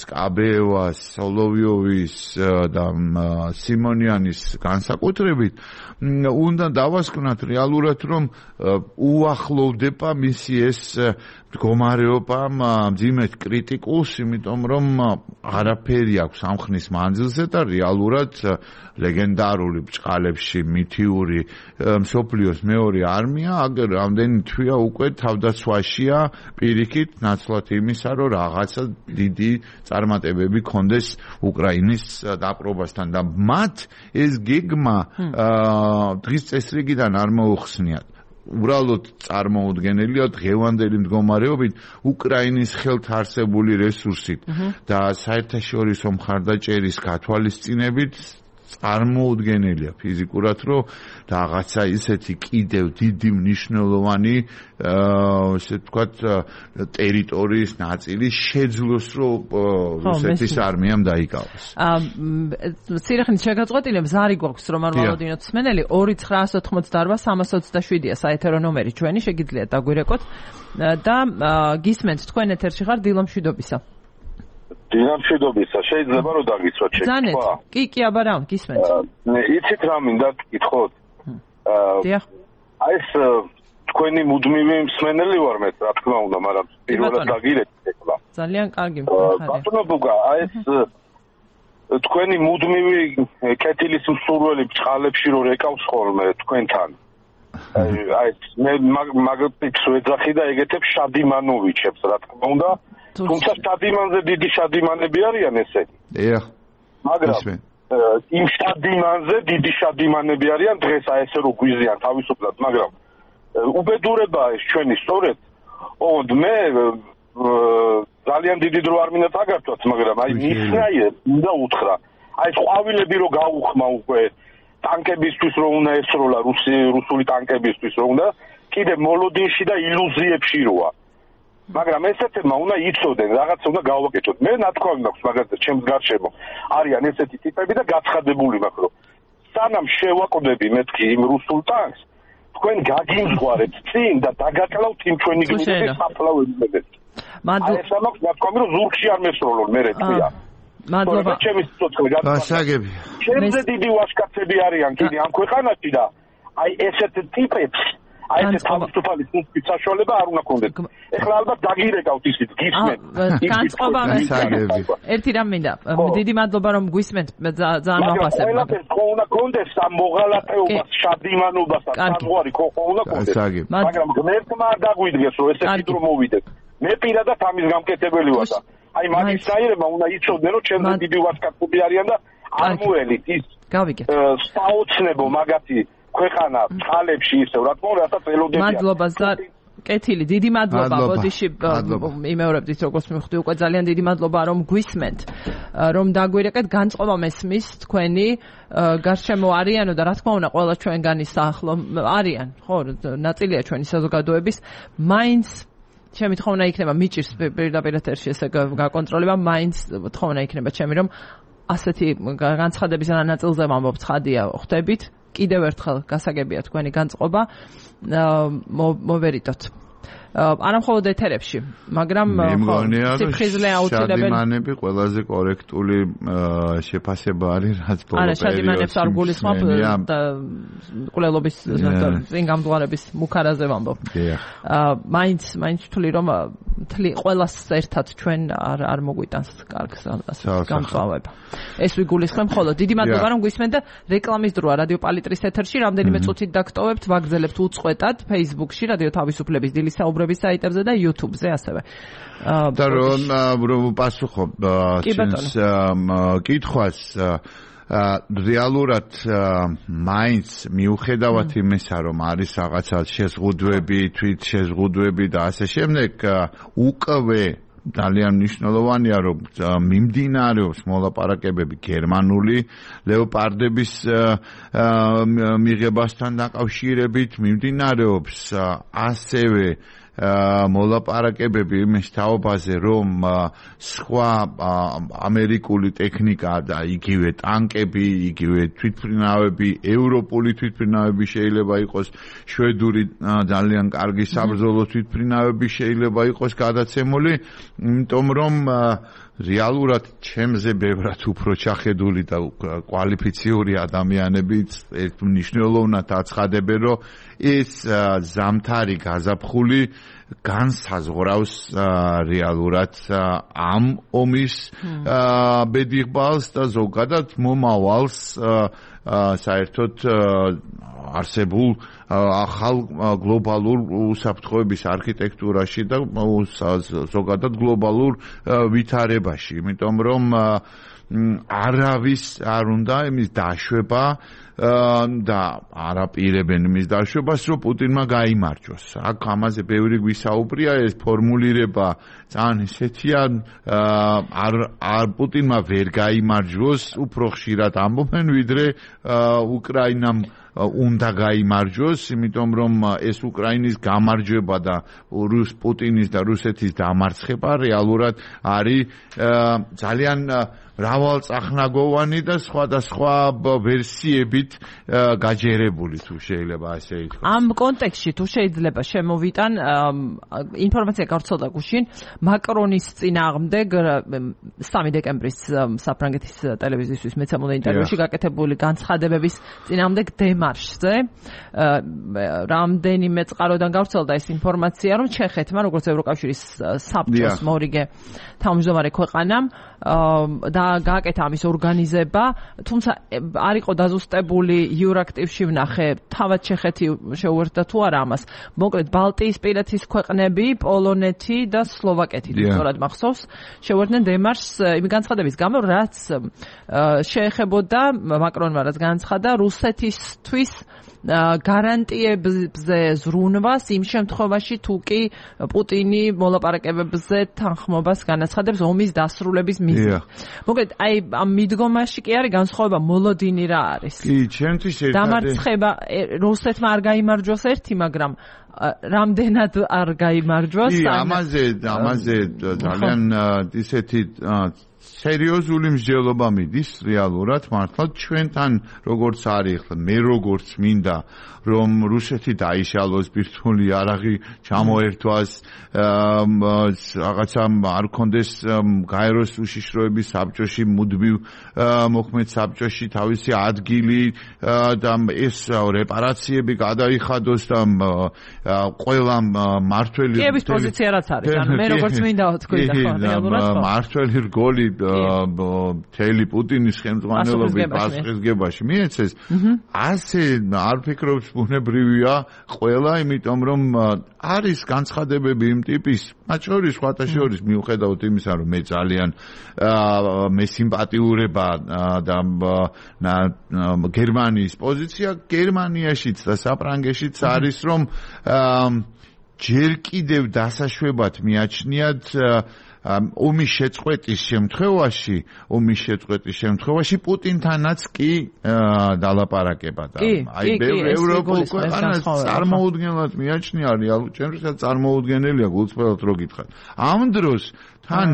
სკაბეევას, სოლოვიოვის და სიმონიანის განსაკუთრებით უნდა დავასკვნათ რეალურად რომ უახლოვდება მისი ეს მდგომარეობა მძიმედ კრიტიკულს, იმიტომ რომ არაფერი აქვს ამხნის მანძილზე და რეალურად ლეგენდარული ბჭყალებში მითიური მსოფლიოს მეორე არმია აგერ რამდენი თვეა უკვე თავდაცვაშია პირიქით ნაცვლად იმისა რომ რაღაცა დიდი წარმატებები ქონდეს უკრაინის დაპყრობასთან და მათ ეს გეგმა დღის წესრიგიდან არ მოუხსნიათ უბრალოდ წარმოუდგენელია დღევანდელი მდგომარეობით უკრაინის ხელთ არსებული რესურსით და საერთაშორისო მხარდაჭერის გათვალისწინებით წარმოუდგენელია ფიზიკურად რომ რაღაცა ისეთი კიდევ დიდი მნიშვნელოვანი ესე ვთქვათ ტერიტორიის ნაწილი შეძლოს რომ რუსეთის არმიამ დაიკავოს. ცირახნის შეგაწყვეტილებს ზარი გვაქვს რომ არ მოვადინოთ მსმენელი 2988-327-ია საეთერო ნომერი ჩვენი შეგიძლიათ დაგვირეკოთ და გისმენთ თქვენ ეთერში ხარ დილო მშვიდობისა. დინამშვიდობისა შეიძლება რომ დაგიცვათ შეკითხვა. კი, აბა რა, გისმენთ. იცით რა მინდა გითხოთ? დიახ. აი ეს თქვენი მუდმივი მსმენელი ვარ მე, რა თქმა უნდა, მაგრამ პირველად დაგირეკეთ ეხლა. ძალიან კარგი მხარე. ბატონო ბუგა, აი ეს თქვენი მუდმივი კეთილის მსურველი ბჭყალებში რო რეკავს ხოლმე თქვენთან. აი მე მაგპიქს ვეძახი და ეგეთებს შადიმანოვიჩებს, რა თქმა უნდა. თუმცა შადიმანზე დიდი შადიმანები არიან ესენი. დიახ. მაგრამ იმ შადიმანზე დიდი შადიმანები არიან დღეს აი ესე რო გვიზიან თავისუფლად, მაგრამ უბედურებაა ეს ჩვენი სწორედ. ოღონდ მე ძალიან დიდი დრო არ მინდა დაგართვათ, მაგრამ აი მისნაირად უნდა უთხრა. აი ყვავილები რო გაუხმა უკვე ტანკებისთვის რო უნდა ესროლა რუსული ტანკებისთვის რო უნდა კიდე მოლოდინში და ილუზიებში როა. მაგრამ ესეთებმა უნდა იცოდნენ, რაღაცა უნდა გავაკეთოთ. მე ნათქვამი მაქვს მაგალითად ჩემს გარშემო. არიან ესეთი ტიპები და გაცხადებული მაქვს, რომ სანამ შევაკვდები მეთქი იმ რუსულ ტანკს, თქვენ გაგიმძღვარებთ წინ და დაგაკლავთ იმ ჩვენი გმირების საფლავებებს. აი ეს მაქვს ნათქვამი, რომ ზურგში არ მესროლონ მე რეწია. მადლობა. ჩემი სიცოცხლე გასაგები. ჩემზე დიდი ვაჟკაცები არიან კიდე ამ ქვეყანაში და აი ესეთ ტიპებს აი ეს თავისუფალი სუნთქვის საშუალება არ უნდა კონდეთ. ეხლა ალბათ დაგირეკავთ ისიც გისმენთ. განწყობა ერთი რამ მინდა. დიდი მადლობა რომ გვისმენთ ძალიან მოგასწრებთ. ყველაფერს ხო უნდა კონდეს ამ მოღალატეობას, შადიმანობას და საზღვარი ხო უნდა კონდეს. მაგრამ ღმერთმა არ დაგვიდგეს რომ ესეთი დრო მოვიდეს. მე პირადად ამის გამკეთებელი ვარ და აი მაგისაირება უნდა იცოდნენ რომ ჩემზე დიდი ვაჟკაცები არიან და არ მოელით ის საოცნებო მაგათი ქვეყანა წყალებში ისევ რა თქმა უნდა რასაც ელოდებიან. მადლობა კეთილი, დიდი მადლობა. ბოდიში იმეორებდით როგორც მივხვდი უკვე ძალიან დიდი მადლობა რომ გვისმენთ, რომ დაგვირეკეთ განწყობა მესმის თქვენი გარშემო არიანო და რა თქმა უნდა ყველა ჩვენგანი საახლო არიან, ხო, ნაწილია ჩვენი საზოგადოების, მაინც ჩემი თხოვნა იქნება მიჭირს პირდაპირ ეთერში ესე გაკონტროლება, მაინც თხოვნა იქნება ჩემი, რომ ასეთი განცხადების ნაწილზე ვამბობ, ცხადია, ხვდებით. კიდევ ერთხელ გასაგებია თქვენი განწყობა. მოვერიდოთ. არა მხოლოდ ეთერებში, მაგრამ სიფხიზლე აუცილებელი. შადიმანები ყველაზე კორექტული შეფასება არის, რაც ბოლო პერიოდში. არა, შადიმანებს არ გულისხმობ და ყოლობის წინ გამდგარების მუქარაზე ვამბობ. მაინც ვთვლი, რომ ყველას ერთად ჩვენ არ მოგვიტანს კარგს გამწვავება. ეს ვიგულისხმებ ხოლო. დიდი მადლობა, რომ გვისმენთ და რეკლამის დროა რადიო პალიტრის ეთერში. რამდენიმე წუთით დაგტოვებთ, ვაგრძელებთ უწყვეტად Facebook-ში, რადიო თავისუფლების დილის საუბრების საიტებზე და YouTube-ზე ასევე. და რომ პასუხობ ჩვენს კითხვას, რეალურად მაინც მიუხედავად იმისა, რომ არის რაღაცა შეზღუდვები, თვით შეზღუდვები და ასე შემდეგ, უკვე ძალიან მნიშვნელოვანია, რომ მიმდინარეობს მოლაპარაკებები გერმანული ლეოპარდების მიღებასთან დაკავშირებით, მიმდინარეობს ასევე მოლაპარაკებები იმის თაობაზე, რომ სხვა ამერიკული ტექნიკა და იგივე ტანკები, იგივე თვითმფრინავები, ევროპული თვითმფრინავები შეიძლება იყოს, შვედური ძალიან კარგი საბრძოლო თვითმფრინავები შეიძლება იყოს გადაცემული, იმიტომ რომ რეალურად ჩემზე ბევრად უფრო ჩახედული და კვალიფიციური ადამიანებიც მნიშვნელოვნად აცხადებენ, რომ ეს ზამთარი გაზაფხული განსაზღვრავს რეალურად ამ ომის ბედიღბალს და ზოგადად მომავალს საერთოდ არსებულ ახალ გლობალურ უსაფრთხოების არქიტექტურაში და ზოგადად გლობალურ ვითარებაში, იმიტომ რომ არავის არ უნდა იმის დაშვება და არაპირებენ იმის დაშვებას, რომ პუტინმა გაიმარჯვოს. აქ ამაზე ბევრი გვისაუბრია, ეს ფორმულირება ძალიან ისეთია, პუტინმა ვერ გაიმარჯვოს, უფრო ხშირად ამბობენ, ვიდრე უკრაინამ უნდა გაიმარჯვოს, იმიტომ რომ ეს უკრაინის გამარჯვება და პუტინის და რუსეთის დამარცხება რეალურად არის ძალიან მრავალწახნაგოვანი და სხვადასხვა ვერსიებით გაჯერებული, თუ შეიძლება ასე ითქვას. ამ კონტექსტში თუ შეიძლება შემოვიტან ინფორმაცია გავრცელდა გუშინ მაკრონის წინააღმდეგ 3 დეკემბრის საფრანგეთის ტელევიზიისთვის მეცემულე ინტერვიუში გაკეთებული განცხადებების წინააღმდეგ დემარშზე რამდენიმე წყაროდან გავრცელდა ეს ინფორმაცია, რომ ჩეხეთმა, როგორც ევროკავშირის საბჭოს მორიგე თავმჯდომარე ქვეყანამ და გააკეთა ამის ორგანიზება, თუმცა არ იყო დაზუსტებული იურაქტივში ვნახე, თავად ჩეხეთი შეუერთდა თუ არა ამას. მოკლედ ბალტიისპირეთის ქვეყნები, პოლონეთი და სლოვაკეთი, სწორად მახსოვს, შეუერთდნენ დემარშს იმ განცხადების გამო, რაც შეეხებოდა მაკრონმა რაც განცხადა რუსეთისთვის გარანტიებზე ზრუნვას იმ შემთხვევაში თუ კი პუტინი მოლაპარაკებებზე თანხმობას განაცხადებს ომის დასრულების მიზნით. მოკლედ აი ამ მიდგომაში კი არის განსხვავება მოლოდინი რა არის. კი, ჩემთვის დამარცხება რუსეთმა არ გაიმარჯვოს ერთი, მაგრამ რამდენად არ გაიმარჯვოს. კი, ამაზე ძალიან ისეთი სერიოზული მსჯელობა მიდის რეალურად მართლა ჩვენთან როგორც არის ხლა მე როგორც მინდა რომ რუსეთი დაიშალოს ბირთვული არაღი ჩამოერთვას რაღაცა არ კონდეს გაეროს უშიშროების საბჭოში მუდმივ მოქმედ საბჭოში თავისი ადგილი და ეს რეპარაციები გადაიხადოს და ყველა მართველი კიევის პოზიცია რაც არის ანუ მე როგორც მინდა თქვი და ხო რეალურად მართველი რგოლი თელი პუტინის ხელმძღვანელობით პასუხისგებაში მიეცეს ასე არ ფიქრობს ბუნებრივია ყველა იმიტომ რომ არის განცხადებები იმ ტიპის მათ შორის სხვათა შორის მიუხედავად იმისა რომ მე ძალიან მე სიმპათიურება და გერმანიის პოზიცია გერმანიაშიც და საფრანგეთშიც არის რომ ჯერ კიდევ დასაშვებად მიაჩნიათ ომის შეწყვეტის შემთხვევაში პუტინთანაც კი დალაპარაკება და აი ევროპულ ქვეყანას წარმოუდგენლად მიაჩნია რეალურ ჩემთვისაც წარმოუდგენელია გულწრფელად რო გითხრათ ამ დროს თან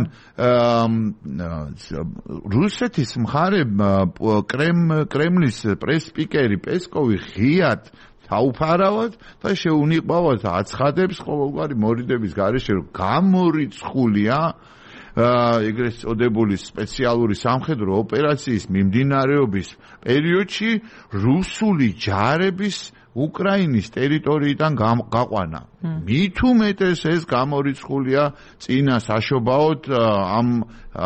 რუსეთის მხარე კრემლის პრეს-სპიკერი პესკოვი ღიად დაუფარავად და შეუნიყვავად აცხადებს ყოველგვარი მორიდების გარეშე რომ გამორიცხულია ეგრეთ წოდებული სპეციალური სამხედრო ოპერაციის მიმდინარეობის პერიოდში რუსული ჯარების უკრაინის ტერიტორიიდან გაყვანა. მით უმეტეს ეს გამორიცხულია წინა საშობაოდ ამ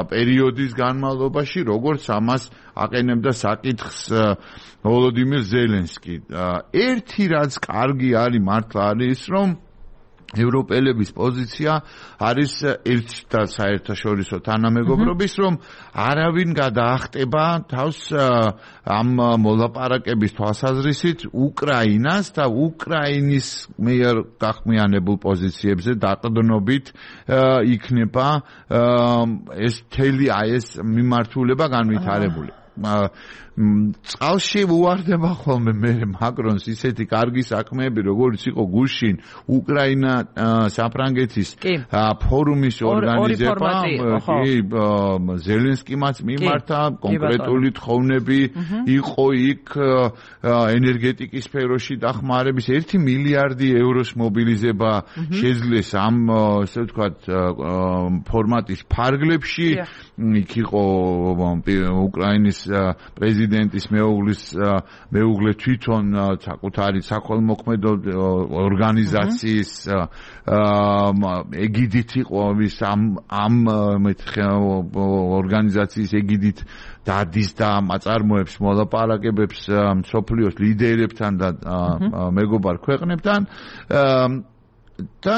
პერიოდის განმავლობაში, როგორც ამას აყენებდა საკითხს ვოლოდიმირ ზელენსკი. ერთი რაც კარგი არის მართლა არის რომ ევროპელების პოზიცია არის ერთ და საერთაშორისო თანამეგობრობის რომ არავინ გადაახტება თავს ამ მოლაპარაკების თვალსაზრისით უკრაინას და უკრაინის მიერ გახმიანებულ პოზიციებზე დაყრდნობით იქნება ეს მთელი ეს მიმართულება განვითარებული. წყალში უვარდება ხოლმე მე მაკრონს ისეთი კარგი საქმეები როგორც იყო გუშინ უკრაინა საფრანგეთის ფორუმის ორგანიზება ზელენსკიმაც მიმართა კონკრეტული თხოვნები იყო იქ ენერგეტიკის სფეროში დახმარების 1 მილიარდი ევროს მობილიზება შეძლეს ამ ასე ვთქვათ ფორმატის ფარგლებში იქ იყო უკრაინის პრეზიდენტის მეუღლე თვითონ საკუთარი საქველმოქმედო ორგანიზაციის ეგიდით იყო ამ ორგანიზაციის ეგიდით დადის და აწარმოებს მოლაპარაკებებს მსოფლიოს ლიდერებთან და მეგობარ ქვეყნებთან და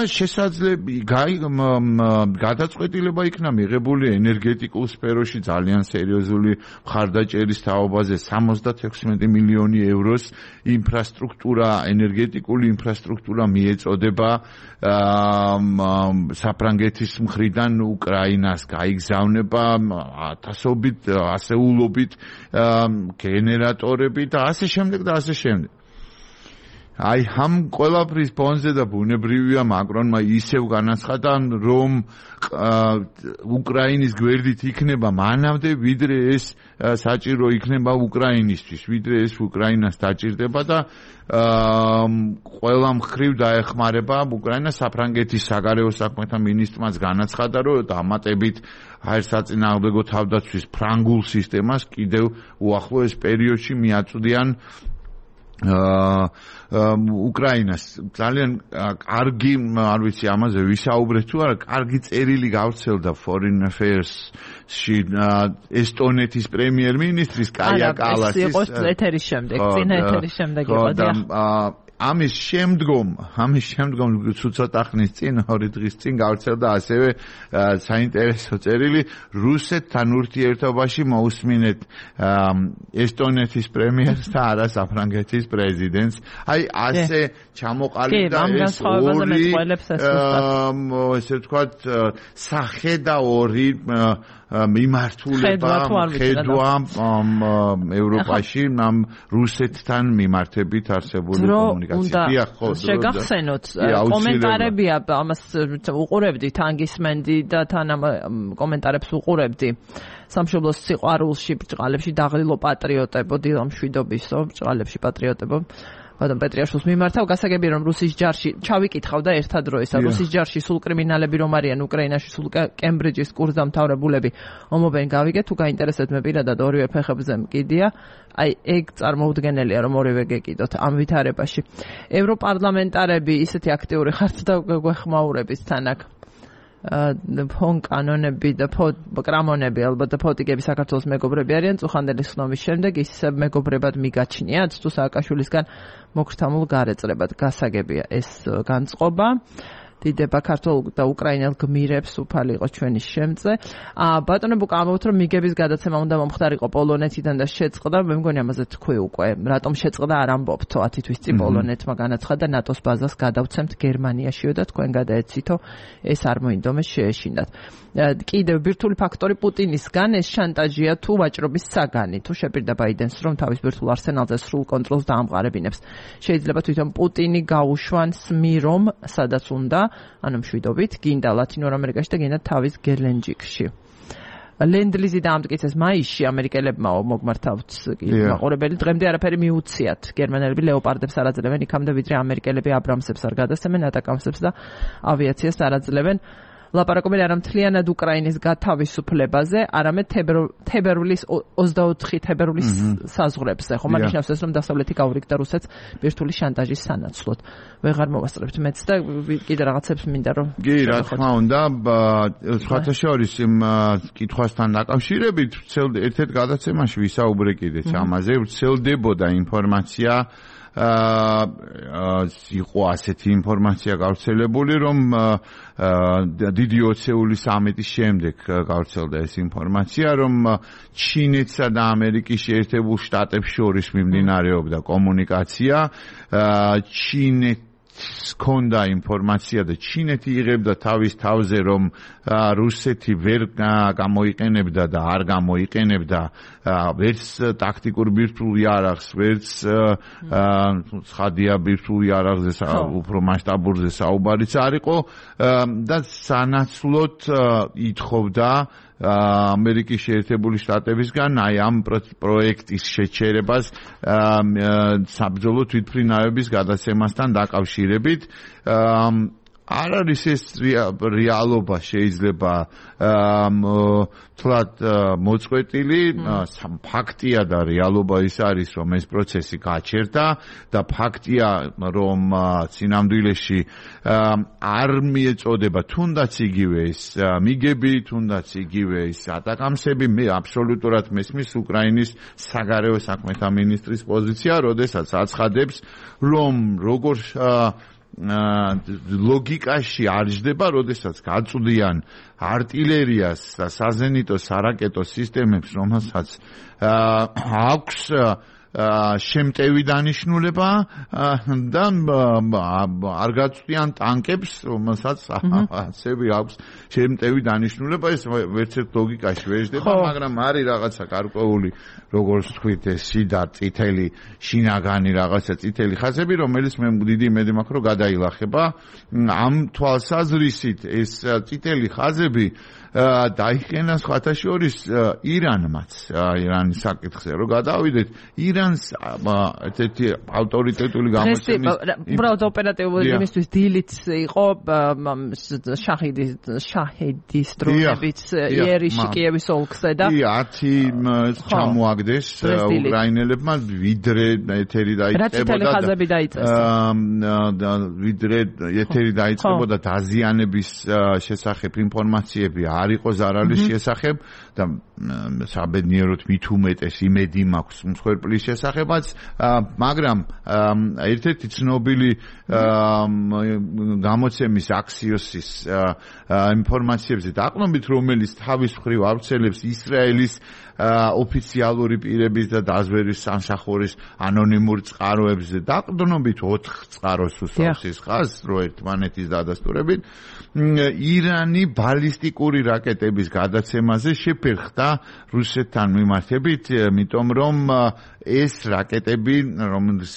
გადაწყვეტილება იქნა მიღებული ენერგეტიკულ სფეროში ძალიან სერიოზული მხარდაჭერის თაობაზე 76 მილიონი ევროს ინფრასტრუქტურა, ენერგეტიკული ინფრასტრუქტურა მიეწოდება საფრანგეთის მხრიდან უკრაინას გაიგზავნება ათასობით, ასეულობით გენერატორები და ასე შემდეგ და ასე შემდეგ. აი ამ ყველაფრის ფონზე და ბუნებრივია მაკრონმა ისევ განაცხადა რომ უკრაინის გვერდით იქნება მანამდე ვიდრე ეს საჭირო იქნება უკრაინისთვის, ვიდრე ეს უკრაინას დაჭირდება და ყველა მხრივ დაეხმარება უკრაინას. საფრანგეთის საგარეო საქმეთა მინისტრმაც განაცხადა რომ დამატებით საწინააღმდეგო თავდაცვის ფრანგულ სისტემას კიდევ უახლოეს პერიოდში მიაწვდიან უკრაინას. ძალიან კარგი, არ ვიცი ამაზე ვისაუბრეთ თუ არა, კარგი წერილი გავრცელდა Foreign Affairs-ში ესტონეთის პრემიერ-მინისტრის კაია კალასის. ეს იყო ეთერის შემდეგ, წინა ეთერის შემდეგ იყო და ამის შემდგომ ცოტა ხნის წინ, 2 დღის წინ გავრცელდა ასევე საინტერესო წერილი რუსეთთან ურთიერთობაში მოусმინეთ ესტონეთის პრემიერს და არა საფრანგეთის პრეზიდენტს. აი ასე ჩამოყალიბდა ეს ორი ესე ვთქვათ სახე და ორი მიმართულება ხედვა ევროპაში ამ რუსეთთან მიმართებით არსებული კომუნიკაცია. შეგახსენოთ კომენტარებია ამას უყურებდი თან გისმენდი და თან ამ კომენტარებს უყურებდი სამშობლოს სიყვარულში ბრჭყალებში დაღლილო პატრიოტებო დილა მშვიდობისო ბრჭყალებში პატრიოტებო ბატონ პეტრიაშვილს მიმართავ. გასაგებია რომ რუსის ჯარში ჩავიკითხავ და ერთად დროისა რუსის ჯარში სულ კრიმინალები რომ არიან უკრაინაში სულ კემბრიჯის კურსდამთავრებულები ომობენ გავიგეთ თუ გაინტერესებთ მე პირადად ორივე ფეხებზე მკიდია. აი ეგ წარმოუდგენელია რომ ორივე გეკიდოთ ამ ვითარებაში. ევროპარლამენტარები ისეთი აქტიური ხართ და გვეხმაურებით თან აქ ფონ კანონები და კრამონები ალბათ და ფოტიკები საქართველოს მეგობრები არიან წუხანდელი ხსნობის შემდეგ ისე მეგობრებად მიგაჩნიათ თუ სააკაშვილისგან მოგრთამულ გარეწრებად. გასაგებია ეს განწყობა დიდება ქართულ და უკრაინელ გმირებს უფალი იყო ჩვენი შემწე. ბატონო ბუკა ამბობთ რომ მიგების გადაცემა უნდა მომხდარიყო პოლონეთიდან და შეწყდა, მე მგონი ამაზე თქვი უკვე, რატომ შეწყდა არ ამბობთ 10 თვის წინ პოლონეთმა განაცხადა ნატოს ბაზას გადავცემთ გერმანიაშიო და თქვენ გადაეცითო ეს არ მოინდომეს შეეშინათ. კიდევ ბირთვული ფაქტორი პუტინისგან ეს შანტაჟია თუ ვაჭრობის საგანი, თუ შეპირდა ბაიდენს რომ თავის ბირთვულ არსენალზე სრულ კონტროლს დაამყარებინებს. შეიძლება თვითონ პუტინი გაუშვან სმირომ, სადაც უნდა, ანუ მშვიდობით, გინდა ლათინურ ამერიკაში და გინდა თავის გელენჯიკში. ლენდ-ლიზი დაამტკიცეს მაისში ამერიკელებმა მოგმართავთ მაყურებელი დღემდე არაფერი მიუციათ. გერმანელები ლეოპარდებს არ აძლევენ იქამდე ვიდრე ამერიკელები აბრამსებს არ გადასცემენ, ატაკამსებს და ავიაციას არ აძლევენ. ლაპარაკობენ არა მთლიანად უკრაინის გათავისუფლებაზე, არამედ თებერვლის 24 თებერვლის საზღვრებზე. ხომ აღნიშნავს ეს რომ დასავლეთი გაურიგდა რუსეთს ბირთვული შანტაჟის სანაცვლოდ. ვეღარ მოვასწრებთ მეც და კიდე რაღაცებს მინდა რომ კი, რა თქმა უნდა, სხვათა შორის იმ კითხვასთან დაკავშირებით ერთ-ერთ გადაცემაში ვისაუბრე კიდეც ამაზე, ვრცელდებოდა ინფორმაცია იყო ასეთი ინფორმაცია გავრცელებული, რომ დიდი ოცეულის სამიტის შემდეგ გავრცელდა ეს ინფორმაცია, რომ ჩინეთსა და ამერიკის შეერთებულ შტატებს შორის მიმდინარეობდა კომუნიკაცია, ჰქონდა ინფორმაცია და ჩინეთი იღებდა თავის თავზე, რომ რუსეთი ვერ გამოიყენებდა და არ გამოიყენებდა ვერც ტაქტიკურ ბირთვულ იარაღს, ვერც ცხადია ბირთვულ იარაღზე უფრო მასშტაბურზე საუბარიც არ იყო და სანაცვლოდ ითხოვდა ამერიკის შეერთებული შტატებისგან აი ამ პროექტის შეჩერებას საბრძოლო თვითმფრინავების გადაცემასთან დაკავშირებით. არ არის ეს რეალობა შეიძლება თლად მოწყვეტილი, ფაქტია და რეალობა ის არის, რომ ეს პროცესი გაჩერდა და ფაქტია, რომ წინამძღოლში არ მიეწოდება თუნდაც იგივე ეს მიგები, თუნდაც იგივე ეს ატაკამსები, მე აბსოლუტურად მესმის უკრაინის საგარეო საქმეთა მინისტრის პოზიცია, როდესაც აცხადებს, რომ როგორ ლოგიკაში არ ჯდება, როდესაც გაწვდიან артиллериას და საზენიტო სარაკეტო სისტემებს, რომელსაც აქვს შემტევი დანიშნულება და არ გაწვდიან ტანკებს, რომელსაც ასევე აქვს შემტევი დანიშნულება, ეს ვერც ერთ ლოგიკაში ვერ ჯდება, მაგრამ არის რაღაცა გარკვეული, როგორც თქვით, ეს სიდა წითელი შინაგანი რაღაცა წითელი ხაზები, რომელიც მე დიდი იმედი მაქვს, რომ გადაილახება. ამ თვალსაზრისით ეს წითელი ხაზები დაიხენა სხვათა შორის ირანმაც, ირანის საკითხზე რომ გადავიდეთ, ირანს ერთ-ერთი ავტორიტეტული გამოცემის უბრალოდ ოპერატიული იმისთვის დილიც იყო შაჰედის დრონებით იერიში კიევის ოლქზე და 10 ჩამოაგდეს უკრაინელებმა ვიდრე ეთერი დაიწყებოდა დაზიანების შესახებ ინფორმაციები არ იყო ზარალის შესახებ და საბედნიეროდ მით უმეტეს იმედი მაქვს მსხვერპლის შესახებაც, მაგრამ ერთ-ერთი ცნობილი გამოცემის აქსიოსის ინფორმაციებზე დაყრდნობით, რომელიც თავის მხრივ ავრცელებს ისრაელის ოფიციალური პირების და დაზვერვის სამსახურის ანონიმურ წყაროებზე დაყრდნობით 4 წყაროს უსვამს ეს ხაზს, რო ერთმანეთის დადასტურებით ირანი ბალისტიკური რაკეტების გადაცემაზე შეფერხდა რუსეთთან მიმართებით, იმიტომ რომ ეს რაკეტები, რომელის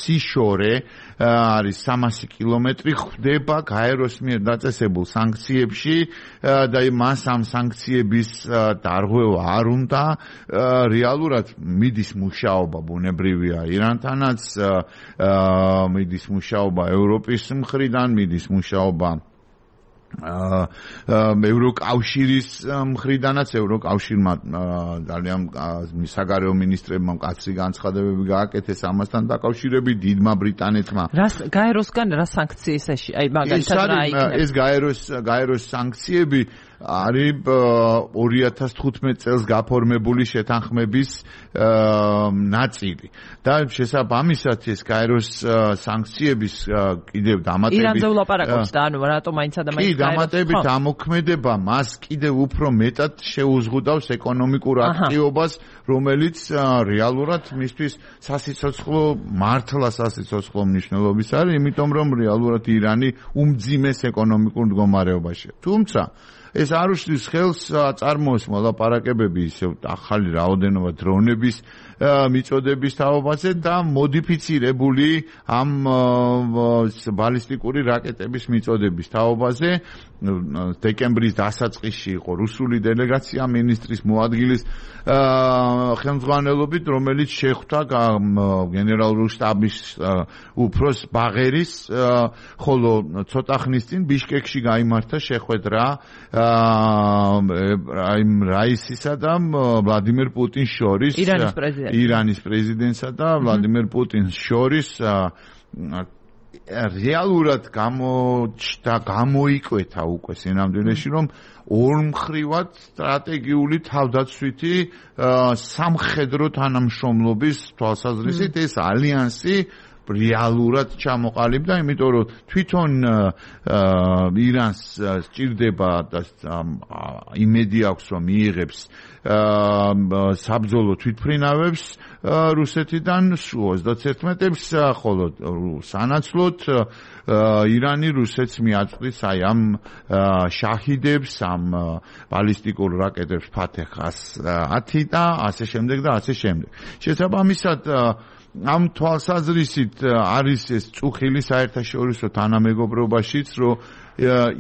სიშორე არის 300 კილომეტრი, ხვდება გაეროს მიერ დაწესებულ სანქციებში და მას ამ სანქციების დარღვევა არ უნდა. რეალურად მიდის მუშაობა ბუნებრივია ირანთანაც, მიდის მუშაობა ევროპის მხრიდან, მიდის მუშაობა ევროკავშირის მხრიდანაც ევროკავშირმა ძალიან საგარეო მინისტრებმა მკაცრი განცხადებები გააკეთეს ამასთან დაკავშირებით დიდმა ბრიტანეთმა. გაეროსგან რა სანქციის აი მაგალითად რა იქნება? ეს გაეროს სანქციები არის 2015 წელს გაფორმებული შეთანხმების ნაწილი და შესაბამისად ეს გაეროს სანქციების კიდევ დამატებით ირანზე ვლაპარაკობთ და ანუ რატომ მაინც ადამიანს დამატებით ამოქმედება მას კიდევ უფრო მეტად შეუზღუდავს ეკონომიკურ აქტივობას, რომელიც რეალურად მისთვის სასიცოცხლო მართლა სასიცოცხლო მნიშვნელობის არის, იმიტომ რომ რეალურად ირანი უმძიმეს ეკონომიკურ მდგომარეობაშია. თუმცა ეს არ უშლის ხელს წარმოოს მოლაპარაკებები ისევ ახალი რაოდენობა დრონების მიწოდების თაობაზე და მოდიფიცირებული ამ ბალისტიკური რაკეტების მიწოდების თაობაზე. დეკემბრის დასაწყისში იყო რუსული დელეგაცია მინისტრის მოადგილის ხელმძღვანელობით, რომელიც შეხვდა გენერალური შტაბის უფროს ბაღერის, ხოლო ცოტა ხნის წინ ბიშკეკში გაიმართა შეხვედრა რაისისა და ვლადიმერ პუტინს შორის, ირანის პრეზიდენტსა და ვლადიმერ პუტინს შორის რეალურად გამოიკვეთა უკვე სინამდვილეში, რომ ორმხრივად სტრატეგიული თავდაცვითი სამხედრო თანამშრომლობის თვალსაზრისით ეს ალიანსი რეალურად ჩამოყალიბდა, იმიტომ რომ თვითონ ირანს სჭირდება და იმედი აქვს, რომ მიიღებს საბრძოლო თვითმფრინავებს რუსეთიდან 31-ებს, ხოლო სანაცვლოდ ირანი რუსეთს მიაწვდის აი ამ შაჰიდებს, ამ ბალისტიკურ რაკეტებს ფათეხ 10 და ასე შემდეგ და ასე შემდეგ. შესაბამისად ამ თვალსაზრისით არის ეს წუხილი საერთაშორისო თანამეგობრობაშიც, რომ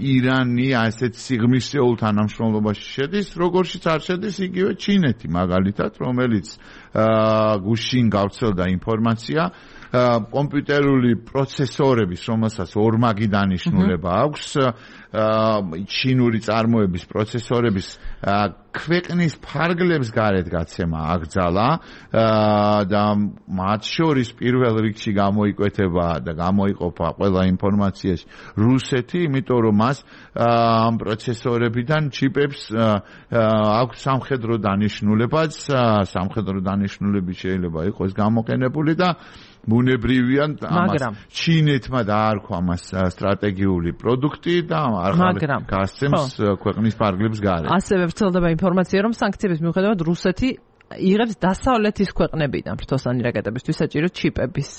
ირანი ასეთ სიღრმისეულ თანამშრომლობაში შედის, როგორშიც არ შედის იგივე ჩინეთი მაგალითად, რომელიც გუშინ გავრცელდა ინფორმაცია კომპიუტერული პროცესორების, რომელსაც ორმაგი დანიშნულება აქვს, ჩინური წარმოების პროცესორების ქვეყნის ფარგლებს გარეთ გაცემა აკრძალა და მათ შორის პირველ რიგში გამოიკვეთება და გამოიყოფა ყველა ინფორმაციაში რუსეთი, იმიტომ რომ მას ამ პროცესორებიდან ჩიპებს აქვს სამხედრო დანიშნულებაც, სამხედრო დანიშნულები შეიძლება იყოს გამოყენებული და ბუნებრივია ამას ჩინეთმა დაარქვა მას სტრატეგიული პროდუქტი და არ გასცემს ქვეყნის ფარგლებს გარეთ. ასევე ვრცელდება ინფორმაცია, რომ სანქციების მიუხედავად რუსეთი იღებს დასავლეთის ქვეყნებიდან ფრთოსანი რაკეტებისთვის საჭირო ჩიპების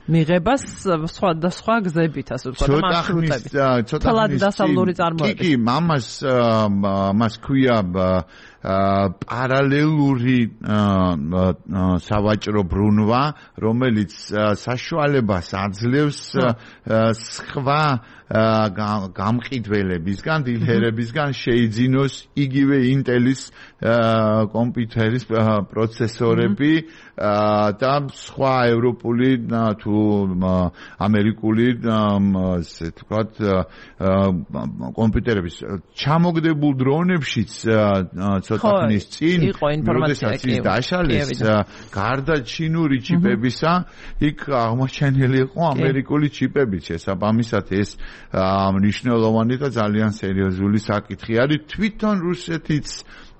მიღებას სხვადასხვა გზებით, ასე ვთქვათ, მარშრუტებით. ცოტა დასავლური წარმოებით. კი, მას ქვია პარალელური სავაჭრო ბრუნვა, რომელიც საშუალებას აძლევს სხვა გამყიდველებისგან, დილერებისგან შეიძინოს იგივე ინტელის კომპიუტერის პროცესორები და სხვა ევროპული თუ ამერიკული ასე ვთქვათ კომპიუტერების ჩამოგდებულ დრონებშიც ცოტა ხნის წინ როდესაც ის დაშალეს გარდა ჩინური ჩიპებისა იქ აღმოჩენილი იყო ამერიკული ჩიპები. შესაბამისად ეს მნიშვნელოვანი და ძალიან სერიოზული საკითხი არის. თვითონ რუსეთიც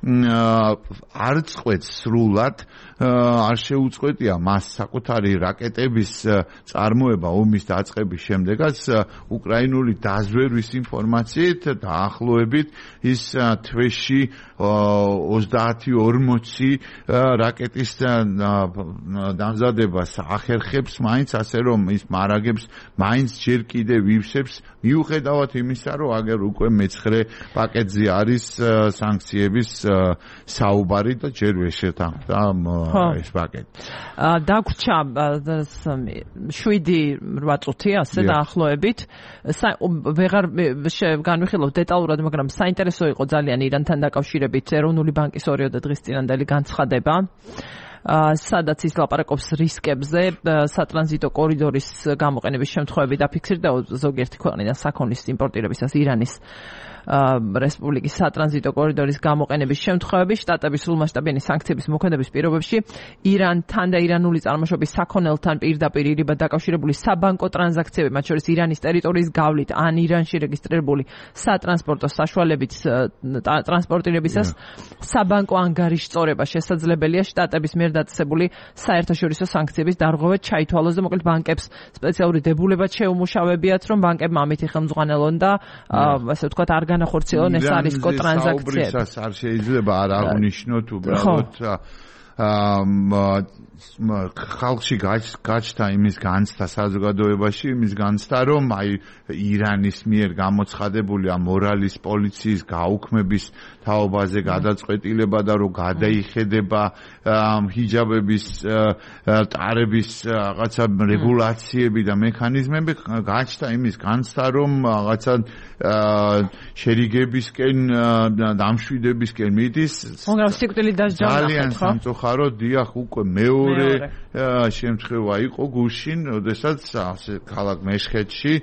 არ წყვეტს სრულად, არ შეუწყვეტია მას საკუთარი რაკეტების წარმოება ომის დაწყების შემდეგაც უკრაინული დაზვერვის ინფორმაციით დაახლოებით ის თვეში 30-40 რაკეტის დამზადებას ახერხებს მაინც, ასე რომ ის მარაგებს მაინც ჯერ კიდევ ივსებს, მიუხედავად იმისა, რომ აგერ უკვე მეცხრე პაკეტზე არის სანქციების საუბარი და ჯერ ვერ შეთანხმდა ეს პაკეტი. დაგვრჩა 7-8 წუთი ასე დაახლოებით. ვეღარ განვიხილავ დეტალურად, მაგრამ საინტერესო იყო ძალიან ირანთან დაკავშირებით ეროვნული ბანკის 2 დღის წინანდელი განცხადება. სადაც ის ლაპარაკობს რისკებზე, სატრანზიტო კორიდორის გამოყენების შემთხვევები დაფიქსირდა ზოგიერთი ქვეყნიდან საქონლის იმპორტირებისას ირანის რესპუბლიკის სატრანზიტო კორიდორის გამოყენების შემთხვევები შტატების სრულმასშტაბიანი სანქციების მოქმედების პირობებში ირანთან და ირანული წარმოშობის საქონელთან პირდაპირ ირიბად დაკავშირებული საბანკო ტრანზაქციები, მათ შორის ირანის ტერიტორიის გავლით ან ირანში რეგისტრირებული სატრანსპორტო საშუალებით ტრანსპორტირებისას საბანკო ანგარიშ სწორება შესაძლებელია შტატების მიერ დაწესებული საერთაშორისო სანქციების დარღვევა ჩაითვალოს და მოკლედ ბანკებს სპეციალური დებულებად შეუმუშავებიათ, რომ ბანკებმა ამითი ხელმძღვანელონ და ასე ვთქვათ არ განახორციელონ ეს არისკო ტრანზაქციები. არ შეიძლება არ აღნიშნოთ უბრალოდ ხალხში გაჩნდა იმის განცდა საზოგადოებაში, იმის განცდა, რომ აი ირანის მიერ გამოცხადებული მორალის პოლიციის გაუქმების თაობაზე გადაწყვეტილება და რომ გადაიხედება ჰიჯაბების ტარების რაღაცა რეგულაციები და მექანიზმები, გაჩნდა იმის განცდა, რომ რაღაცა შერიგებისკენ დამშვიდებისკენ მიდის. მაგრამ სიკვდილით დასჯა ძალიან სამწუხაროდ დიახ უკვე მეორე შემთხვევა იყო გუშინ, როდესაც ქალაქ მეშხეთში